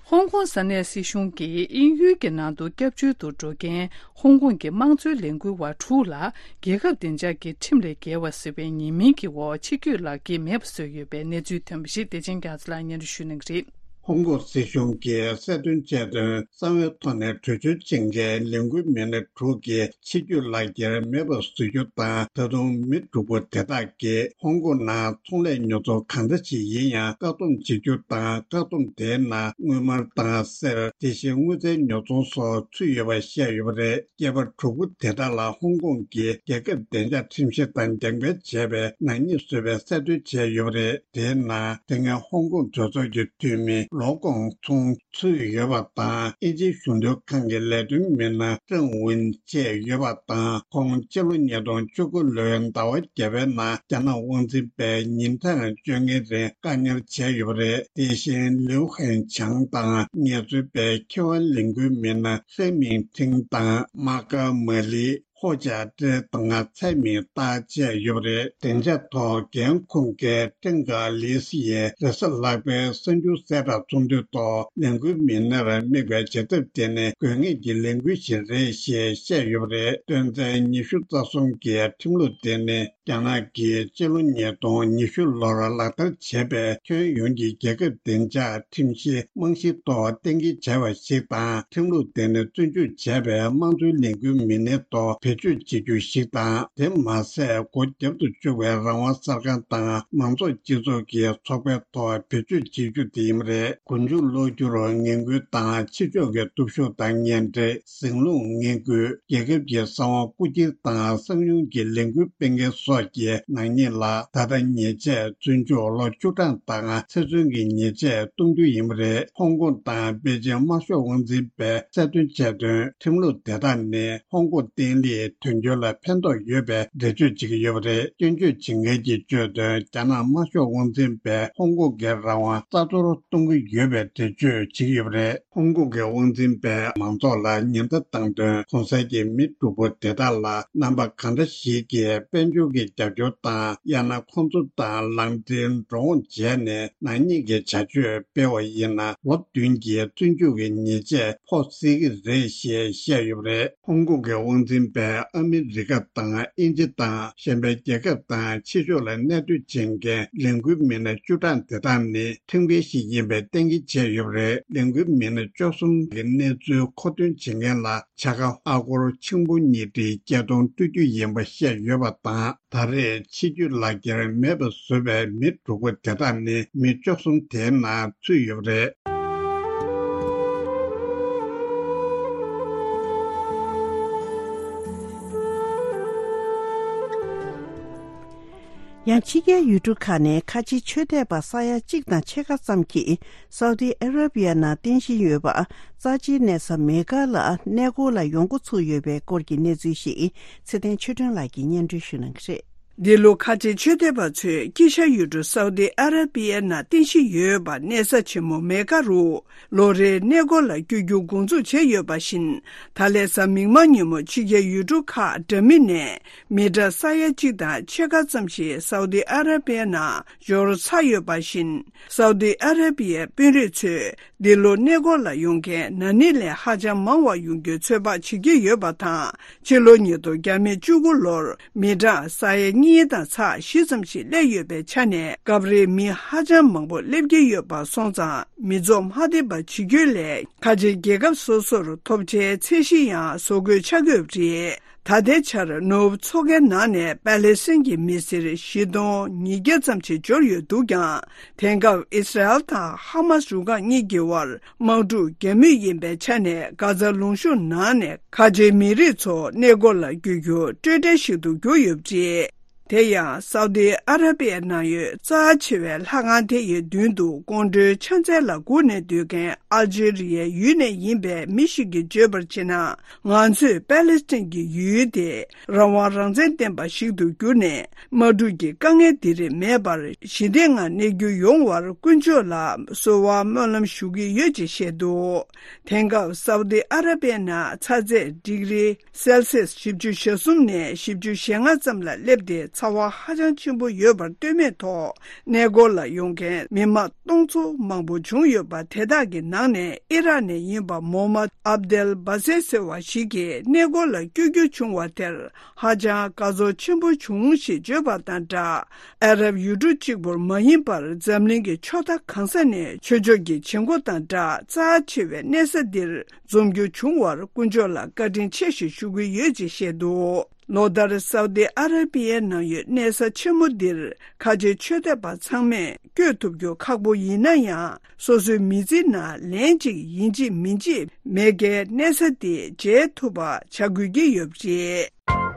ཧོང་ཀོང་ས་གནས་སྲིད་གཞུང་གིས་དབྱིན་ཡུལ་གྱི་ནང་དུ་སྐྱབས་བཅོལ་དུ་འགྲོ་མཁན་ཧོང་ཀོང་གི་དམངས་གཙོའི་ལས་འགུལ་བ་དྲུག་ལ་རྒྱལ་ཁབ་བདེ་འཇགས་ཀྱི་ཁྲིམས་ལས་འགལ་བ་ཟེར་བའི་ཉེས་མིང་གི་འོག་ཕྱིར་སྐྱོད་ལག་འཁྱེར་མེད་པ་བཟོས་ཡོད་པའི་གནས་ཚུལ་ཐོན་པ་ཞིག་བདེ་ཆེན་རྒྱ་མཚོ་ལགས་སྙན་སྒྲོན་ཞུ་གནང་གི་རེད། ཧོང་ཀོང་སྲིད་གཞུང་གིས་གསལ་སྟོན་བྱས་དོན། གསང་བའི་ཐོག་ནས་བྲོས་བྱོལ་ཕྱིན་མཁན་ལས་འགུལ་མི་སྣ་དྲུག་གི་ཕྱིར་སྐྱོད་ལག་འཁྱེར་མེད་པར་བཟོ་རྒྱུ་དང་། ད་དུང་མི་དྲུག་པོ་དེ་དག་གིས་ཧོང་ཀོང་ནང་ཚོང་ལས་ཉོ་ཚོང་གང་འདྲ་ཞིག་ཡིན་ཡང་བཀག་སྡོམ་བྱེད་རྒྱུ་དང་། བཀག་སྡོམ་དེའི་ནང་དངུལ་སྨར་དང་གསེར། དེ་བཞིན་དངུལ་རྩའི་ཉོ་ཚོང་སོགས་ཚུད་ཡོད་པ་བཤད་ཡོད་པ་རེད། སྐྱེས་པ་དྲུག་པོ་དེ་དག་ལ་ཧོང་ཀོང་གི་རྒྱལ་ཁབ་བདེ་འཇགས་ཁྲིམས་གཞི་དང་འགྲེམས་སྤེལ་བྱས་པའི་ནག་ཉེས་བཟོས་པའི་གསལ་སྟོན་བྱས་ཡོད་པ་རེད། དེའི་ནང་དེ་སྔའི་ཧོང་ཀོང་གྲོས་ཚོགས་ཀྱི་འཐུས་མི་ལོ་ཀོང་ཚུང་ཚུད་ཡོད་པ་དང་། དབྱིན་ཇིའི་གཞུང་དོན་ཁང་གི་ལས་དོན་མི་སྣ་ཀྲང་ཝུན་བཅས་ཡོད་པ་དང་། ཁོང་སྤྱི་ལོ་ཉིས་སྟོང་བཅུ་དགུ་ལོའི་ཟླ་བ་བརྒྱད་པའི་ནང་རྒྱ་ནག་དབང་འཛིན་པས་ཉིན་གྲངས་བཅོ་ལྔའི་རིང་བཀག་ཉར་བྱས་ཡོད་པ་རེད། དེ་བཞིན་ལིའུ་ཧན་ཆང་དང་ངལ་རྩོལ་པའི་ཁེ་དབང་ལས་འགུལ་མི་སྣ་ཧྥེ་མིང་ཁྲིང་དང་མཱ་ཀ་མ་ལི། ཧོ་ཅཱ་ཀྲེ་དང་ཚའེ་མིང་ཏཱ་བཅས་ཡོད་པ་རེད། བདེ་འཇགས་ཐོག་འགན་འཁུར་མཁན་ཀྲེང་ཀ་ལི་སི་ཡིས་རེས་གཟའ་ལྷག་པའི་གསར་འགྱུར་གསལ་བསྒྲགས་ཚོགས་འདུའི་ཐོག་ལས་འགུལ་མི་སྣར་དམིགས་པའི་བྱེད་ཐབས་དེ་ནི་དགོས་ངེས་ཀྱི་ལས་འགུལ་ཞིག་རེད་ཞེས་བཤད་ཡོད་པ་རེད། དོན་ཚན་ཉི་ཤུ་རྩ་གསུམ་གྱི་ཁྲིམས་ལུགས་དེ་ནི་རྒྱ་ནག་གིས་སྤྱི་ལོ་ཉིས་སྟོང་ཉི་ཤུ་ལོར་ལག་བསྟར་བྱས་པའི་ཁྱོན་ཡོངས་ཀྱི་རྒྱལ་ཁབ་བདེ་འཇགས་ཁྲིམས་གཞི་རྨང་གཞིའི་ཐོག་གཏན་འཁེལ་བྱས་པ་ཞིག་དང་། ཁྲིམས་ལུགས་དེ་ནི་བཙོན་འཇུག་བྱས་པའི་དམངས་གཙོའི་ལས་འགུལ་མི་སྣའི་ཐོག་བེད་སྤྱོད་བྱེད་རྒྱུ་ཞིག་དང་། དེ་མ་ཟད། སྒོ་རྒྱབ་ཏུ་བཅུག་པའི་རང་དབང་གསར་ཁང་དང་མང་ཚོགས་སྤྱི་ཚོགས་ཀྱི་ཚོགས་པའི་ཐོག་བེད་སྤྱོད་བྱེད་རྒྱུ་དེ་ཡིན་པ་རེད། མགོ་མཇུག་ལོག་རྒྱུར་ངན་སྐུལ་དང་ཕྱི་ཕྱོགས་ཀྱི་སྟོབས་ཤུགས་དང་ངན་འབྲེལ། ཟིང་ལུགས་ངན་སྐུལ། རྒྱལ་ཁབ་ཀྱི་གསང་བ་རྐུ་འཁྱེར་དང་གསང་མྱུལ་གྱི་ལས་འགུལ་སྤེལ་མཁན་སོགས། ཀྱི་ནག་ཉེས་ལ་ད་ལྟ་ཉེས་ཆད་བཙོན་འཇུག་ལོ་བཅུ་གྲངས་དང་ཚེ་བཙོན་གྱི་ཉེས་ཆད་གཏོང་རྒྱུ་ཡིན་པ་རེད། ཧོང་ཀོང་དང་པེ་ཅིང་དམར་ཤོག་དབང་འཛིན་པས་གསལ་སྟོན་བྱས་དོན། ཁྲིམས་ལུགས་དེ་དག་ནི་ཧོང་ཀོང་བརྟན་ལྷིང་དོན་འཁྱོལ་ལ་ཕན་ཐོགས་ཡོད་པའི་འགྲེལ་བརྗོད་བྱེད་ཀྱི་ཡོད་པ་རེད། སྐྱོན་བརྗོད་བྱེད་མཁན་གྱིས་བརྗོད་དོན། རྒྱ་ནག་དམར་ཤོག་དབང་འཛིན་པས་ཧོང་ཀོང་གི་རང་དབང་རྩ་གཏོར་གཏོང་གི་ཡོད་པའི་འགྲེལ་བརྗོད་བྱེད་ཀྱི་ཡོད་པ་རེད། ཧོང་ཀོང་གི་དབང་འཛིན་པས་མང་ཚོགས་ལ་ཉེན་བརྡ་བཏང་དོན། གོང་གསལ་གྱི་མི་དྲུག་པོ་དེ་དག་ལ་རྣམ་པ་གང་འདྲ་ཞིག་གིས་དཔལ་འབྱོར་གྱི་རྒྱབ་སྐྱོར་དང་། ཡང་ན་ཁོང་ཚོ་དང་ལག་འབྲེལ་འགྲོ་འོང་བྱས་ནས་ནག་ཉེས་ཀྱི་བྱ་སྤྱོད་སྤེལ་བ་ཡིན་ན། ལོ་བདུན་གྱི་བཙོན་འཇུག་གི་ཉེས་ཆད་ཕོག་སྲིད་ཀྱི་རེད་ཞེས་བཤད་ཡོད་པ་རེད། ཧོང་ཀོང་གི་དབང་འཛིན་པས་ཨ་མི་རི་ཀ་དང་དབྱིན་ཇི་དང་གཞན་པའི་རྒྱལ་ཁབ་དང་ཕྱི་ཕྱོགས་ལ་གནས་སྡོད་བྱེད་མཁན་ལས་འགུལ་མི་སྣ་བཅུ་གྲངས་དེ་དག་ནི་ཁྲིམས་འགལ་ཞིག་ཡིན་པའི་གཏན་འཁེལ་བྱས་ཡོད་པ་རེད། ལས་འགུལ་མི་སྣ་བཅུ་གསུམ་གྱི་གནས་ཚུལ་མཁོ་འདོན་བྱེད་མཁན་ལ་བྱ་དགའ་ཨ་སྒོར་ཆིག་སྟོང་ཉིས་ཁྲིའི་སྐྱེད་གཏོང་སྤྲོད་རྒྱུ་ཡིན་པ་བཤད་ཡོད་པ་དང་། ད་རེས་ཕྱི་སྐྱོད་ལག་འཁྱེར་མེད་པ་བཟོས་པའི་མི་དྲུག་པོ་དེ་དག་ནི་མི་བཅུ་གསུམ་དེའི་ནང་ཚུད་ཡོད་པ་རེད། ཡང་ཕྱི་རྒྱལ་ཡུལ་གྲུ་ཁག་ནས་ཁ་ཆེའི་ཆོས་དད་པ་ས་ཡ་གཅིག་དང་ཕྱེད་ཀ་ཙམ་གྱིས་སའུ་ཏི་ཨ་ར་བི་ཡ་ནང་རྟེན་གཞི་ཡོད་པ། རྩ་ཆེའི་གནས་ས་མེ་ཀ་ལ་གནས་སྐོར་ལ་ཡོང་འགོ་ཚུགས་ཡོད་པའི་སྐོར་གྱི་གནས་ཚུལ་ཞིག་ཚེ་བརྟན་ཆོས་སྒྲོན་ལགས་ཀྱིས་སྙན་སྒྲོན་ཞུ་གནང་གི་རེད། འདི་ལོ་ཁ་ཆེ་ཆོས་དད་པ་ཚོས་དཀྱིལ་ཤར་ཡུལ་གྲུ་སའུ་ཏི་ཨ་ར་པི་ཡའི་ནང་རྟེན་གཞི་ཡོད་པ་གནས་ས་ཆེན་མོ་མེ་ཀ་རུ་ལོ་རེའི་གནས་སྐོར་ལ་བསྐྱོད་རྒྱུ་འགོ་འཛུགས་བྱས་ཡོད་པ་བཞིན། ད་ལན་གཟའ་མིག་དམར་ཉིན་མོ་ཕྱི་རྒྱལ་ཡུལ་གྲུ་ཁག་འདྲ་མིན་ནས་མི་གྲངས་ས་ཡ་གཅིག་དང་ཕྱེད་ཀ་ཙམ་ཞིག་སའུ་ཏི་ཨ་ར་པི་ཡའི་ནང་འབྱོར་ཚར་ཡོད་པ་བཞིན། སའུ་ཏི་ཨ་ར་པི་ཡའི་དཔོན་རིགས་ཚོས་འདི་ལོ་གནས་སྐོར་ལ་ཡོང་མཁན་ན་ནིང་ལས་ཧ་ཅང་མང་བ་ཡོང་རྒྱུའི་ཚོད་དཔག་བྱེད་ཀྱི་ཡོད་པ་དང་། ཕྱི་ལོ་ཉིས་སྟོང་བཅུ་དགུ་ལོར་མི་གྲངས་ས་ཡ་གཉིས་དང་ཚེག་བཞི་ཙམ་ཞིག་སླེབས་ཡོད་པའི་ཆ་ནས། སྐབས་རེ་མི་ཧ་ཅང་མང་པོ་སླེབས་ཀྱི་ཡོད་པ་སོང་ཙང་། མི་ཚོགས་མ་བདེ་བ་བྱེད་རྒྱུའི་སླད། ཁ་ཆེའི་རྒྱལ་ཁབ་སོ་སོར་ཐོབ་ཆའི་ཚད་གཞི་ཡང་བཟོ་དགོས་ཆགས་ཀྱི་ཡོད་པ་རེད། ད་ལྟའི་ཆར་ནོར་བུ་འཚོ་མཁན་ནང་ནས་པ་ལེ་སི་ཐན་གྱི་མི་སེར་བཞི་སྟོང་ཉིས་བརྒྱ་ཙམ་ཞིག་འབྱོར་ཡོད་འདུག་ཀྱང་། དེང་སྐབས་ཨི་སི་རལ་དང་ཧ་མ་སི་རུ་ཁག་གཉིས་ཀྱི་དབར་དམག་འཁྲུག་རྒྱག་མུས་ཡིན་པའི་ཆ་ནས། གྷ་ཛ་ལུང་གཤོང་ནང་ནས་ཁ་ཆེའི་མི་རིགས་ཚོ་གནས་སྐོར་ལ་བསྐྱོད་རྒྱུ་སྤྲོས་བྲལ་ཞིག་ཏུ་གྱུར་ཡོད་པ་རེད། དེ་ཡང་སའུ་ཏི་ཨ་ར་པི་ཡའི་ནང་ཡོད་རྩ་ཆེ་བའི་ལྷ་ཁང་དེ་ཡི་མདུན་དུ་ཀོང་སྒྲོན་ཕྱག་འཚལ་ལ་སྒུག་ནས་སྡོད་མཁན་ཨལ་ཇི་རི་ཡའི་ཡུལ་ནས་ཡིན་པའི་མི་ཞིག་གིས་བརྗོད་པར་བྱས་ན། ང་ཚོས་པ་ལེ་སི་ཐན་གྱི་ཡུལ་དེ་རང་དབང་རང་བཙན་ལྡན་པ་ཞིག་ཏུ་བསྒྱུར་ནས། དམག་འཁྲུག་གི་དཀའ་ངལ་འདི་རིགས་མེད་པར་ཞི་བདེའི་ངང་གནས་རྒྱུ་ཡོང་བར་དཀོན་མཆོག་ལ་གསོལ་བ་སྨོན་ལམ་ཞུ་གི་ཡོད་ཅེས་བཤད་འདུག་དེང་སྐབས་སའུ་ཏི་ཨ་ར་པི་ཡའི་ནང་ཚ་ཚད་ཌིག་རི་སེལ་སི་ཡས་བཞི་བཅུ་ཞེ་གསུམ་ནས་བཞི་བཅུ་ཞེ་ལྔ་ཙམ་ལ་སླེབས་ཏེ། ཚ་བ་ཧ་ཅང་ཆེན་པོ་ཡོད་པར་ལྟོས་མེད་ཐོག་གནས་སྐོར་ལ་ཡོང་མཁན་མི་མང་སྟོང་ཚོ་མང་པོ་བྱུང་ཡོད་པ། དེ་དག་གི་ནང་ནས་ཨི་རག་ནས་ཡིན་པ་མོ་མད་ཨབ་དེལ་བྷ་སེ་ཟེར་བ་ཞིག་གིས་གནས་སྐོར་ལ་བསྐྱོད་རྒྱུ་བྱུང་བ་དེར་ཧ་ཅང་དགའ་ཚོར་ཆེན་པོ་བྱུང་ཞེས་བརྗོད་པ་དང་སྦྲགས། ཨ་རབ་ཡུལ་གྲུ་གཅིག་པུར་མ་ཡིན་པར་འཛམ་གླིང་གི་ཕྱོགས་མཐའ་གང་ས་ནས་ཆོས་ཕྱོགས་ཀྱི་བྱེད་སྒོ་དང་སྦྲགས་རྩ་ཆེ་བའི་གནས་ས་འདིར་འཛོམས་རྒྱུ་བྱུང་བར་དཀོན་མཆོག་ལ་བཀའ་དྲིན་ཆེ་ཞེས་ཞུ་གི་ཡོད་ཅེས་བཤད་འདུག་ལོ་ལྟར་སའུ་ཏི་ཨ་ར་པི་ཡའི་ནང་ཡོད་གནས་ས་ཆེན་མོ་འདིར་ཁ་ཆེའི་ཆོས་དད་པ་ཚང་མས་བསྐྱོད་ཐུབ་རྒྱུ་ཁག་པོ་ཡིན་ན་ཡང་། སོ་སོའི་མི་ཚེའི་ནང་ལན་གཅིག་ཡིན་གཅིག་མིན་གཅིག་མེ་ཀའི་གནས་ས་འདི་མཇལ་ཐུབ་པ་བྱ་དགོས་ཀྱི་ཡོད་པ་རེད། ཨ་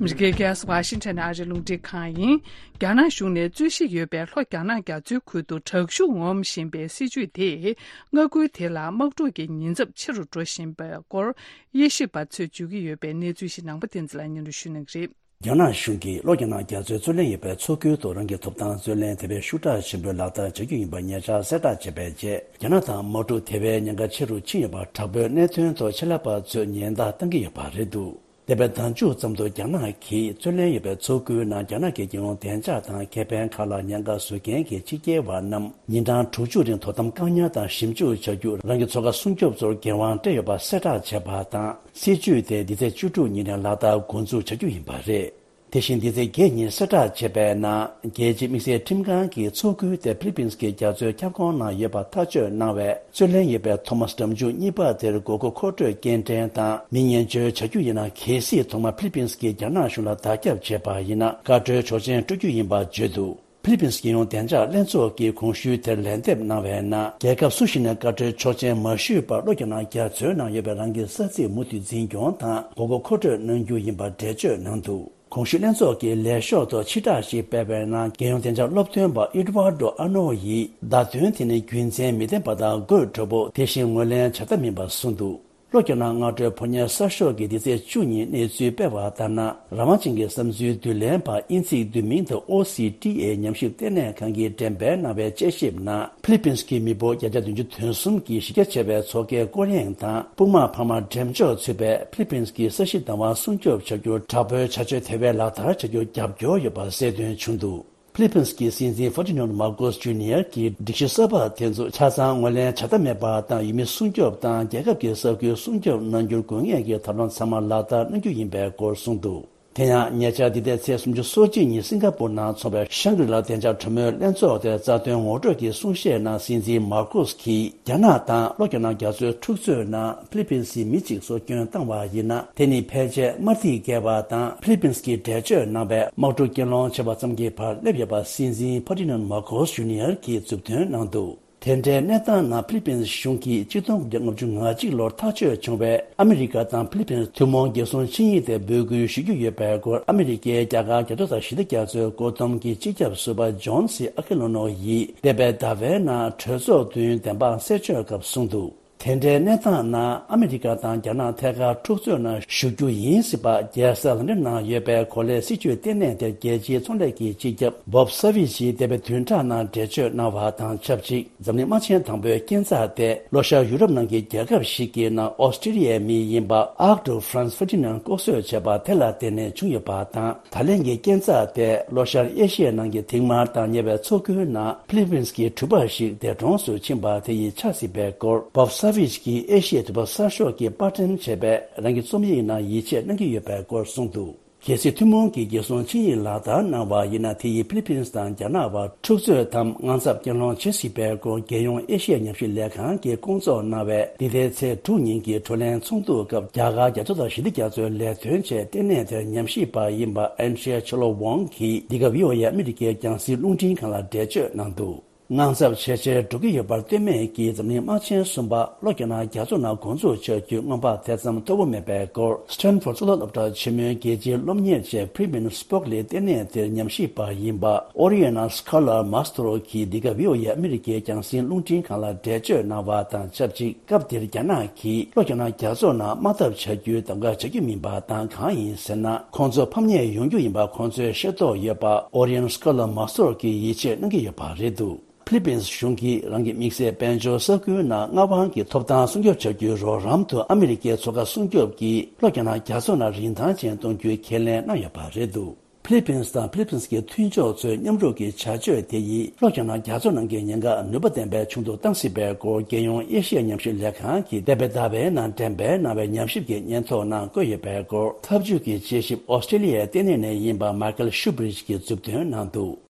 མི་རི་ཀའི་རྒྱལ་ས་ཝ་ཤིང་ཊོན་ནས་ཨ་རིའི་རླུང་འཕྲིན་ཁང་ཡིན། རྒྱ་ནག་གཞུང་ནས་རྩོད་གཞི་ཡོད་པའི་ལྷོ་རྒྱ་ནག་རྒྱ་མཚོའི་ཁུལ་དུ་དྲག་ཤུགས་ངོམ་བཞིན་པའི་སྲིད་ཇུས་དེས་མངའ་ཁུལ་དེ་ལ་དམག་འཁྲུག་གི་ཉེན་ཚབས་ཆེ་རུ་འགྲོ་བཞིན་པའི་སྐོར་དབྱེ་ཞིབ་པ་ཚོས་བརྗོད་ཀྱི་ཡོད་པའི་གནས་ཚུལ་ཞིག་ནང་པ་བསྟན་འཛིན་ལགས་སྙན་སྒྲོན་ཞུ་གནང་གི་རེད། རྒྱ་ནག་གཞུང་གིས་ལྷོ་རྒྱ་ནག་རྒྱ་མཚོའི་རྩོད་གླེང་ཡོད་པའི་མཚོ་ཁུལ་དུ་རང་གི་ཐོབ་ཐང་རྩོད་ལེན་དེ་བས་ཤུགས་དྲག་ཆེན་པོས་ལག་བསྟར་བྱ་རྒྱུ་ཡིན་པ་ཉེ་ཆར་གསལ་བསྒྲགས་བྱས་པའི་རྗེས། རྒྱ་ནག་དང་དམག་འཁྲུག་དེ་བས་ཉེན་ཁ་ཆེ་རུ་ཕྱིན་ཡོད་པ་དྲག་པོའི་གནད་དོན་ཐོག་ཆེད་ལས་པ་ཚོས་ཉེན་བརྡ་བཏང་གི་ཡོད་པ་རེད་འདུག་འདས་པའི་ཟླ་མཇུག་ཙམ་དུ་རྒྱ་ནག་གིས་རྩོད་ལེན་ཡོད་པའི་མཚོ་ཁུལ་ནང་རྒྱ་ནག་གི་རྒྱལ་ཡོངས་བདེ་འཇགས་དང་ཁེ་ཕན་ཁག་ལ་ཉེན་ཁ་བཟོ་མཁན་གྱི་ཕྱི་རྒྱལ་བ་རྣམས་ཉིན་གྲངས་དྲུག་ཅུ་རིང་དོ་དམ་བཀག་ཉར་དང་ཞིབ་འཇུག་བྱ་རྒྱུར་རང་གི་འཚོ་ཁ་སྲུང་སྐྱོབ་ཚོར་འགན་དབང་སྤྲད་ཡོད་པ་གསལ་བསྒྲགས་བྱས་པ་དང་། སྲིད་ཇུས་དེ་འདི་ཚེས་བཅུ་དྲུག་ཉིན་ནས་ལག་བསྟར་འགོ་འཛུགས་བྱ་རྒྱུ་ཡིན་པ་རེད། དེ་བཞིན་འདི་ཚེས་བརྒྱད་ཉིན་གསལ་བསྒྲགས་བྱས་པའི་ནང་། རྒྱལ་སྤྱིའི་དམིགས་བསལ་ཁྲིམས་ཁང་གིས་མཚོ་ཁུལ་དེ་ཕི་ལི་པིན་གྱི་རྒྱ་མཚོའི་ཁྱབ་ཁོངས་ནང་ཡོད་པ་ཐག་གཅོད་གནང་བའི་རྩོད་ལེན་ཡོད་པའི་ཐོ་མཱས་གྲམ་ཆུང་གཉིས་པ་དེར་དགོས་མཁོ་མཁོ་སྤྲོད་སྐྱེལ་འདྲེན་དང་མི་ཉེན་བཅོལ་བྱ་རྒྱུ་ཡིན་ན། གལ་སྲིད་ཐོག་མར་ཕི་ལི་པིན་གྱིས་རྒྱ་ནག་གཞུང་ལ་བརྡ་ཁྱབ་བྱས་པ་ཡིན་ན། བཀའ་འཁྲོལ་ཆོག་མཆན་སྤྲོད་རྒྱུ་ཡིན་པ་བརྗོད་འདུག་ཕི་ལི་པིན་སི་རྒྱལ་ཡོངས་བདེ་འཇགས་ལྷན་ཚོགས་ཀྱིས་གོང་ཞུས་དེར་ལན་འདེབས་གནང་བའི་ནང་། རྒྱལ་ཁབ་སུ་ཞིག་ནས་བཀའ་འཁྲོལ་ཆོག་མཆན་མ་ཞུས་པར་བློ་འགྱོད་གནང་རྒྱ་མཚོའི་ནང་ཡོད་པའི་རང་གི་ས་ཚིགས་མུ་མཐུད་འཛིན་སྐྱོང་དང་། མགོ་སྐོར་མཁོ་སྤྲོད་གནང་རྒྱུ་ཡིན་པར་འགྲེལ་བརྗོད་གནང་འདུག་གོང་ཞུས་ལྷན་ཚོགས་ཀྱིས་ལས་ཤོག་ཐོག་ཕྱིར་བསྒྲགས་ཤིག་སྤེལ་བའི་ནང་། རྒྱལ་ཡོངས་བདེ་འཇགས་སློབ་སྟོན་པ་ཨེ་ཌི་ཝར་ཌོ་ཨ་ནོ་ཡིས། བརྡ་དོན་དེ་ནི་རྒྱུ་མཚན་མི་ལྡན་པ་དང་དགོད་བྲོ་པོ། དེ་བཞིན་ངོས་ལེན་བྱ་ཐབས་མིན་པར་གསུངས་འདུག་བློ་འགྱོད་གནང་སྔ་དྲོའི་ཕོ་ཉའི་གསར་ཤོག་གིས་འདི་ཚེས་བཅུ་གཉིས་གནས་ཚུལ་སྤེལ་བ་ལྟར་ན། རང་དབང་ཅན་གྱི་བསམ་ཚུལ་བསྡུ་ལེན་པ་དབྱིན་ཚིག་བསྡུས་མིང་དུ་ཨོ་སི་ཊི་ཨེ་ཉམས་ཞིབ་ལྟེ་གནས་ཁང་གིས་འགྲེམས་སྤེལ་གནང་བའི་དཔྱད་ཞིབ་ནང་། ཕི་ལི་པིན་སི་གི་མི་འབོར་བརྒྱ་ཆ་བདུན་ཅུ་དོན་གསུམ་གྱི་གཞི་རྒྱ་ཆེ་བའི་མཚོ་ཁའི་སྐོར་གཡེང་དང་། སྤུངས་དམག་འཕར་མ་འགྲེམས་འཇོག་ཚུད་པས། ཕི་ལི་པིན་སི་གི་ས་གཞི་བདག་དབང་སྲུང་སྐྱོབ་བྱ་རྒྱུར། དྲག་པོའི་བྱ་སྤྱོད་དེ་བས་ལག་བསྟར་བྱ་རྒྱུར་རྒྱབ་སྐྱོར་ཡོད་པ་གསལ་སྟོན་བྱུང་འདུག་ཕི་ལི་པིན་སི་གི་སྲིད་འཛིན་ཧྥར་ཏི་ནན་མར་ཀོས་ཇུ་ནི་ཡར་གྱིས་སྒྲིག་གཞི་གསར་པ་དེ་ཚོ་ཆ་ཚང་ངོས་ལེན་བྱ་ཐབས་མེད་པ་དང་། ཡུལ་མི་སྲུང་སྐྱོབ་དང་རྒྱལ་ཁབ་ཀྱི་ས་ཁུལ་སྲུང་སྐྱོབ་གནང་རྒྱུར་དགོས་ངེས་ཀྱི་ཐབས་ལམ་ཚང་མ་ལག་བསྟར་གནང་རྒྱུ་ཡིན་པའི་སྐོར་གསུངས་འདུག་དེ་ཡང་ཉེ་ཆར་འདི་ཟླའི་ཚེས་སུམ་ཅུ་སོ་གཅིག་ཉིན་སིང་ག་པུར་ནང་འཚོགས་པའི་ཤང་གྲི་ལ་བདེ་འཇགས་གྲོས་མོལ་ལྷན་ཚོགས་དེར་རྩ་དོན་ངོ་སྤྲོད་ཀྱི་གསུང་བཤད་ནང་སྲིད་འཛིན་མར་ཀོས་ཀྱིས། རྒྱ་ནག་དང་བློ་འགྱོད་གནང་རྒྱ་མཚོའི་འཁྲུག་རྩོད་ནང་ཕི་ལི་པིན་སིའི་མི་གཅིག་སྲོག་སྐྱོན་བཏང་བ་ཡིན་ན། དེ་ནི་ཕལ་ཆེར་དམར་ཐིག་བཀལ་བ་དང་། ཕི་ལི་པིན་སི་གིས་འགྲེལ་བརྗོད་གནང་བའི་དམག་འཁྲུག་རྐྱེན་སློང་བྱས་པ་ཙམ་གྱི་བར་སླེབས་ཡོད་པ་སྲིད་འཛིན་ཕར་ཏི་ནན་མར་ཀོས་ཇུ་ནི་ཡར་གྱིས་མཛུབ་སྟོན་གནང་འདུག་དེ་འདྲའི་གནས་སྟངས་ནང་ཕི་ལི་པིན་སི་གཞུང་གིས་ཆིག་སྟོང་དགུ་བརྒྱ་ལྔ་བཅུ་ང་གཅིག་ལོར་ཐག་གཅོད་བྱུང་བའི་ཨ་མི་རི་ཀ་དང་ཕི་ལི་པིན་སི་ཐུན་མོང་རྒྱལ་སྲུང་ཆིངས་ཡིག་དེ་འབོད་སྐུལ་ཞུ་རྒྱུ་ཡོད་པའི་སྐོར། ཨ་མི་རི་ཀའི་རྒྱ་གར་རྒྱ་མཚོ་དང་ཞི་བདེ་རྒྱ་མཚོའི་བཀོད་འདོམས་ཀྱི་སྤྱི་ཁྱབ་ཟུར་པ་ཇོན་སི་ཨ་ཁི་ལོ་ནོ་ཡིས་འདས་པའི་ཟླ་བའི་ནང་གྲོས་ཚོགས་མདུན་བདེན་དཔང་གསལ་བརྗོད་སྐབས་གསུངས་འདུག་དེ་འདྲའི་གནས་སྟངས་ནང་ཨ་མི་རི་ཀ་དང་རྒྱ་ནག་ཐད་ཀར་འཁྲུག་རྩོད་ནང་ཞུགས་རྒྱུ་ཡིན་སྲིད་པ། རྒྱལ་ས་ལོན་ཌོན་ནང་ཡོད་པའི་གོ་ལའི་སྲིད་བྱུས་ལྟེ་གནས་དེར་རྒྱལ་སྤྱིའི་ཚོང་ལས་ཀྱི་སྤྱི་ཁྱབ་བོབ་ས་ཝིཇ་ཡིས་འདས་པའི་བདུན་ཕྲག་ནང་འགྲེལ་བརྗོད་གནང་བ་དང་ཆབས་ཅིག་འཛམ་གླིང་དམག་ཆེན་དང་པོའི་རྐྱེན་རྩ་དེ། ལྷོ་ཤར་ཡུ་རོབ་ནང་གི་རྒྱལ་ཁབ་ཞིག་གི་ནང་ཨོ་སི་ཀྲི་ལི་ཡའི་མི་ཡིན་པ་ཨར་ཀྲུག་ཧྥ་རན་སི་ཧྥར་ཏི་ནན་ལྐོག་གསོད་བྱས་པ་དེ་ལ་བརྟེན་ནས་བྱུང་ཡོད་པ་དང་། ད་ལན་གྱི་རྐྱེན་རྩ་དེ་ལྷོ་ཤར་ཨེ་ཤི་ཡའི་ནང་གི་མཐིང་དམར་དང་ཉེ་བའི་མཚོ་ཁུལ་ནང་ཕི་ལི་པིན་སི་གི་གྲུ་པ་ཞིག་འདས་གྲོངས་སུ་ཕྱིན་པ་དེ་ཡིས་ཆགས་སྲིད་པའི་སྐོར། བོབ་ས་ཝིཇ་གྱིས་ཨེ་ཤི་ཡའི་དུས་བབ་གསར་ཤོག་གིས་པར་སྐྲུན་བྱས་པའི་རང་གི་རྩོམ་ཡིག་ནང་ཡིད་ཆེས་གནང་གི་ཡོད་པའི་སྐོར་གསུངས་འདུག་གལ་སྲིད་ཐུན་མོང་གི་རྒྱལ་སྲུང་ཆིངས་ཡིག་ལག་བསྟར་གནང་བ་ཡིན་ན། དེ་ཡིས་ཕི་ལི་པིན་སི་དང་རྒྱ་ནག་བར་འཁྲུག་རྩོད་དམ་དངངས་འཚབ་རྐྱེན་སློང་བྱེད་སྲིད་པའི་སྐོར། རྒྱལ་ཡོངས་ཨེ་ཤི་ཡ་ཉམས་ཞིབ་ལས་ཁང་གིས་སྐོང་ཚོགས་གནང་བའི་འདི་ཟླའི་ཚེས་དྲུག་ཉིན་གྱི་བགྲོ་གླེང་ཚོགས་འདུ་སྐབས། རྒྱ་གར་རྒྱ་མཚོ་དང་ཞི་བདེ་རྒྱ་མཚོའི་ལས་དོན་ཆེད་ལྟེ་གནས་དེར་ཉམས་ཞིབ་པ་ཡིན་པ་ཨན་ཌི་རི་ཡ་ཆི་ལོ་ཝང་གིས་འདི་ག་བྷི་ཨོ་ཨེ་ཨ་མི་རི་ཀའི་རྒྱང་སྲིང་རླུང་འཕྲིན་ཁང་ལ་འགྲེལ་བརྗོད་གནང་འདུག་དངངས་འཚབ་ཇེ་ཆེར་འགྲོ་གི་ཡོད་པར་ལྟོས་མེད་ཀྱིས། འཛམ་གླིང་དམག་ཆེན་གསུམ་པ་བློ་འགྱོད་གནང་རྒྱ་མཚོ་ནང་འགོ་འཛུགས་བྱ་རྒྱུའི་སྔོན་དཔག་དེ་ཙམ་མཐོ་པོ་མེད་པའི་སྐོར། སི་ཊན་ཕོར་གཙུག་ལག་སློབ་གྲྭ་ཆེན་མོའི་རྒྱལ་སྤྱིའི་སློབ་གཉེར་ཆེད་Freeman Spokely ལྟེ་གནས་དེར་ཉམས་ཞིབ་པ་ཡིན་པ་ཨོ་རི་ཡན་ན་སི་ཁ་ལར་མཱ་སི་ཏྲོ་གིས་འདི་ག་བྷི་ཨོ་ཨེ་ཨ་མི་རི་ཀའི་རྒྱང་སྲིང་རླུང་འཕྲིན་ཁང་ལ་འགྲེལ་བརྗོད་གནང་བ་དང་ཆབས་ཅིག་སྐབས་དེར་རྒྱ་ནག་གིས་བློ་འགྱོད་གནང་རྒྱ་མཚོ་ནང་དམག་འཐབ་བྱ་རྒྱུའི་གདམ་ག་བྱ་རྒྱུ་མིན་པ་དང་། གང་ཡིན་ཟེར་ན། ཁོང་ཚོ་ཕམ་ཉེས་ཡོང་རྒྱུ་ཡིན་པ་ཁོང་ཚོས་ཤེས་རྟོགས་ཡོད་པ་ཨོ་རི་ཡན་ན་སི་ཁ་ལར་མཱ་སི་ཏྲོ་གིས་ཡིད་ཆེས་གནང་གི་ཡོད་པ་རེད་འདུག་ཕི་ལི་པིན་སི་གཞུང་གིས་རང་གི་དམིགས་བསལ་དཔལ་འབྱོར་ས་ཁུལ་ནང་མངའ་དབང་གི་ཐོབ་ཐང་སྲུང་སྐྱོབ་བྱ་རྒྱུའི་རོགས་རམ་དུ་ཨ་མི་རི་ཀའི་མཚོ་ཁ་སྲུང་སྐྱོབ་ཀྱི་བློ་འགྱོད་གནང་རྒྱ་མཚོ་ནང་རིན་ཐང་ཅན་གཏོང་རྒྱུའི་ཁས་ལེན་གནང་ཡོད་པ་རེད་འདུག་ཕི་ལི་པིན་སི་དང་ཕི་ལི་པིན་སི་གི་མཐུན་ཕྱོགས་ཚོའི་མཉམ་རུབ་ཀྱི་བྱ་སྤྱོད་དེ་ཡིས་བློ་འགྱོད་གནང་རྒྱ་མཚོ་ནང་གི་ཉེན་ཁ་ནུས་པ་ལྡན་པའི་ཆུང་དུ་བཏང་སྲིད་པའི་སྐོར། རྒྱལ་ཡོངས་ཨེ་ཤི་ཡ་ཉམས་ཞིབ་ལས་ཁང་གིས་འདས་པའི་ཟླ་བའི་ནང་འགྲེམས་སྤེལ་གནང་བའི་ཉམས་ཞིབ་ཀྱི་སྙན་ཐོ་ནང་བཀོད་ཡོད་པའི་སྐོར། འཐབ་ཇུས་ཀྱི་དཔྱད་ཞིབ་ཨོ་སི་ཀྲི་ལི་ཡའི་ལྟེ་གནས་ནས་ཡིན་པ་མའི་ཁལ་ཤུ་བྷི་རིཇ་གྱིས་མཛུབ་སྟོན་གནང་འདུག་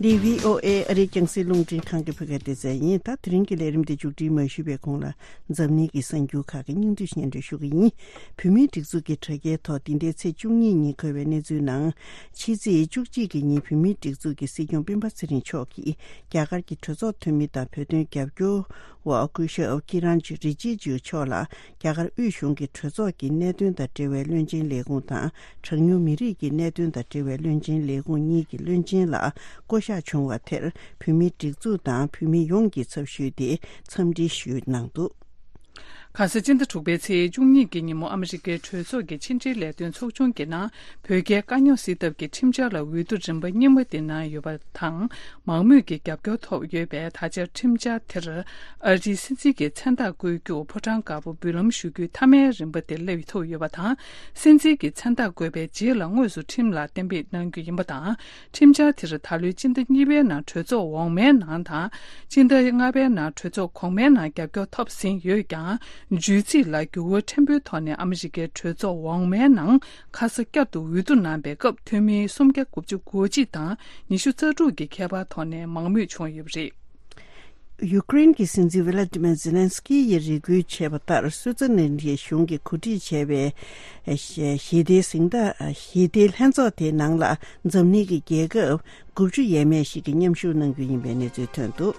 འདི་བྷི་ཨོ་ཨེ་ཨ་རིའི་རྒྱང་སྲིང་རླུང་འཕྲིན་ཁང་གི་བོད་སྐད་སྡེ་ཚན་ཡིན། ད་དེ་རིང་གི་ལས་རིམ་འདི་མཇུག་སྒྲིལ་མ་ཞུས་པའི་གོང་ལ། འཛམ་གླིང་གི་གསར་འགྱུར་ཁག་གི་སྙིང་བསྡུས་སྙན་སྒྲོན་ཞུ་གི་ཡིན། བོད་མིའི་སྒྲིག་འཛུགས་ཀྱི་དྲ་རྒྱའི་ཐོག་འདི་ཟླའི་ཚེས་བཅུ་གཉིས་ཉིན་འཁོད་པའི་གནས་ཚུལ་ནང་། ཕྱི་ཚེས་བཅུ་གཅིག་གི་ཉིན་བོད་མིའི་སྒྲིག་འཛུགས་ཀྱི་སྲིད་སྐྱོང་སྤེན་པ་ཚེ་རིང་མཆོག་གིས་རྒྱ་གར་གྱི་གྲོས་ཚོགས་འཐུས་མི་དང་བོད་དོན་རྒྱབ་སྐྱོར་བ་སྐུ་ཞབས་ཀི་རན་རི་ཇི་ཇུ་མཆོག་ལ་རྒྱ་གར་དབུས་གཞུང་གི་གྲོས་ཚོགས་ཀྱི་གནད་དོན་དང་འབྲེལ་བའི་བློན་ཆེན་ལས་ཁུངས་དང་། གྲངས་ཉུང་མི་རིགས་ཀྱི་གནད་དོན་དང་འབྲེལ་བའི་བློན་ཆེན་ལས་ཁུངས་གཉིས་ཀྱི་བློན་ཆེན་ལ་བསྐོ་གཞག་བྱུང་བ་དེར་བོད་མིའི་སྒྲིག་འཛུགས་དང་བོད་མི་ཡོངས་ཀྱི་ཚབ་ཞུས་ཏེ་འཚམས་འདྲི་ཞུས་གནང་འདུག་ག་ས་སྤྱི་ཟླ་དྲུག་པའི་ཚེས་བཅུ་གཉིས་ཀྱི་ཉིན་མོ་ཨ་མི་རི་ཀའི་གྲོས་ཚོགས་ཀྱི་ཕྱི་འབྲེལ་ལས་དོན་ཚོགས་ཆུང་གི་ནང་བོད་རྒྱའི་དཀའ་རྙོག་སེལ་ཐབས་ཀྱི་ཁྲིམས་འཆར་ལ་འོས་བསྡུ་རིམ་པ་གཉིས་པ་དེ་གནང་ཡོད་པ་དང་། མང་མོས་ཀྱི་རྒྱབ་སྐྱོར་ཐོབ་ཡོད་པས། ད་ཆར་ཁྲིམས་འཆར་དེར་ཨ་རིའི་སྲིད་འཛིན་གྱི་མཚན་རྟགས་བཀོད་རྒྱུར་ཕོ་བྲང་དཀར་པོར་འབུལ་ལམ་ཞུ་རྒྱུའི་མཐའ་མའི་རིམ་པ་དེ་སླེབས་ཐུབ་ཡོད་པ་དང་། སྲིད་འཛིན་གྱི་མཚན་རྟགས་བཀོད་པའི་རྗེས་ལ་དངོས་སུ་ཁྲིམས་ལ་གཏན་འབེབས་གནང་རྒྱུ་ཡིན་པ་དང་། ཁྲིམས་འཆར་དེར་ད་ལོའི་སྤྱི་ཟླ་གཉིས་པའི་ནང་གྲོས་ཚོགས་འོག་མའི་ནང་དང་། སྤྱི་ཟླ་ལྔ་པའི་ནང་གྲོས་ཚོགས་གོང་མའི་ནང་རྒྱབ་སྐྱོར་ཐོབ་ཟིན་ཡོད་ཀྱང་། བརྗོད་ཚིག་ལ་འགྱུར་བ་ཕྲན་བུའི་ཐོག་ནས་ཨ་མི་རི་ཀའི་གྲོས་ཚོགས་འོག་མའི་ནང་ཁ་ས་བསྐྱར་དུ་འོས་བསྡུ་གནང་པའི་སྐབས། འཐུས་མི་སུམ་བརྒྱ་དགུ་བཅུ་གོ་གཅིག་དང་ཉི་ཤུ་རྩ་དྲུག་གི་ཁྱད་པར་ཐོག་ནས་མང་མོས་བྱུང་ཡོད་པ་རེད། ཡུ་ཀེ་རེན་གྱི་སྲིད་འཛིན་ཝི་ལ་ཏི་མེར་ཛེ་ལན་སི་ཀི་ཡིས་རེ་སྐུལ་བྱས་པ་ལྟར། སུའུ་ཙེར་ལན་གྱི་གཞུང་གིས་གོ་སྒྲིག་བྱས་པའི་ཞི་བདེའི་གཟེངས་རྟགས། ཞི་བདེའི་ལྷན་ཚོགས་དེའི་ནང་ལ་འཛམ་གླིང་གི་རྒྱལ་ཁབ་དགུ་བཅུ་ཡས་མས་ཤིག་གིས་མཉམ་ཞུགས་གནང་རྒྱུ་ཡིན་པའི་གནས་ཚུལ་ཐོན་འདུག།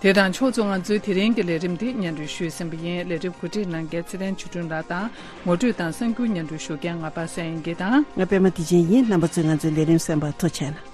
དེ་དང་ཕྱོགས་མཚུངས། ང་ཚོའི་དེ་རིང་གི་ལས་རིམ་འདི་སྙན་སྒྲོན་ཞུས་ཟིན་པ་ཡིན། ལས་རིམ་གོ་སྒྲིག་གནང་མཁན་ཚེ་བརྟན་ཆོས་སྒྲོན་ལགས་དང་། ངོ་སྤྲོད་དང་གསར་འགྱུར་སྙན་སྒྲོན་ཞུ་མཁན་ང་པ་སངས་དབྱངས་སྐྱིད་དང་། ང་པད་མ་བདེ་ཆེན་ཡིན། རྣམ་པ་ཚོས་ང་ཚོའི་ལས་རིམ་གསན་པར་ཐུགས་རྗེ་གནང་།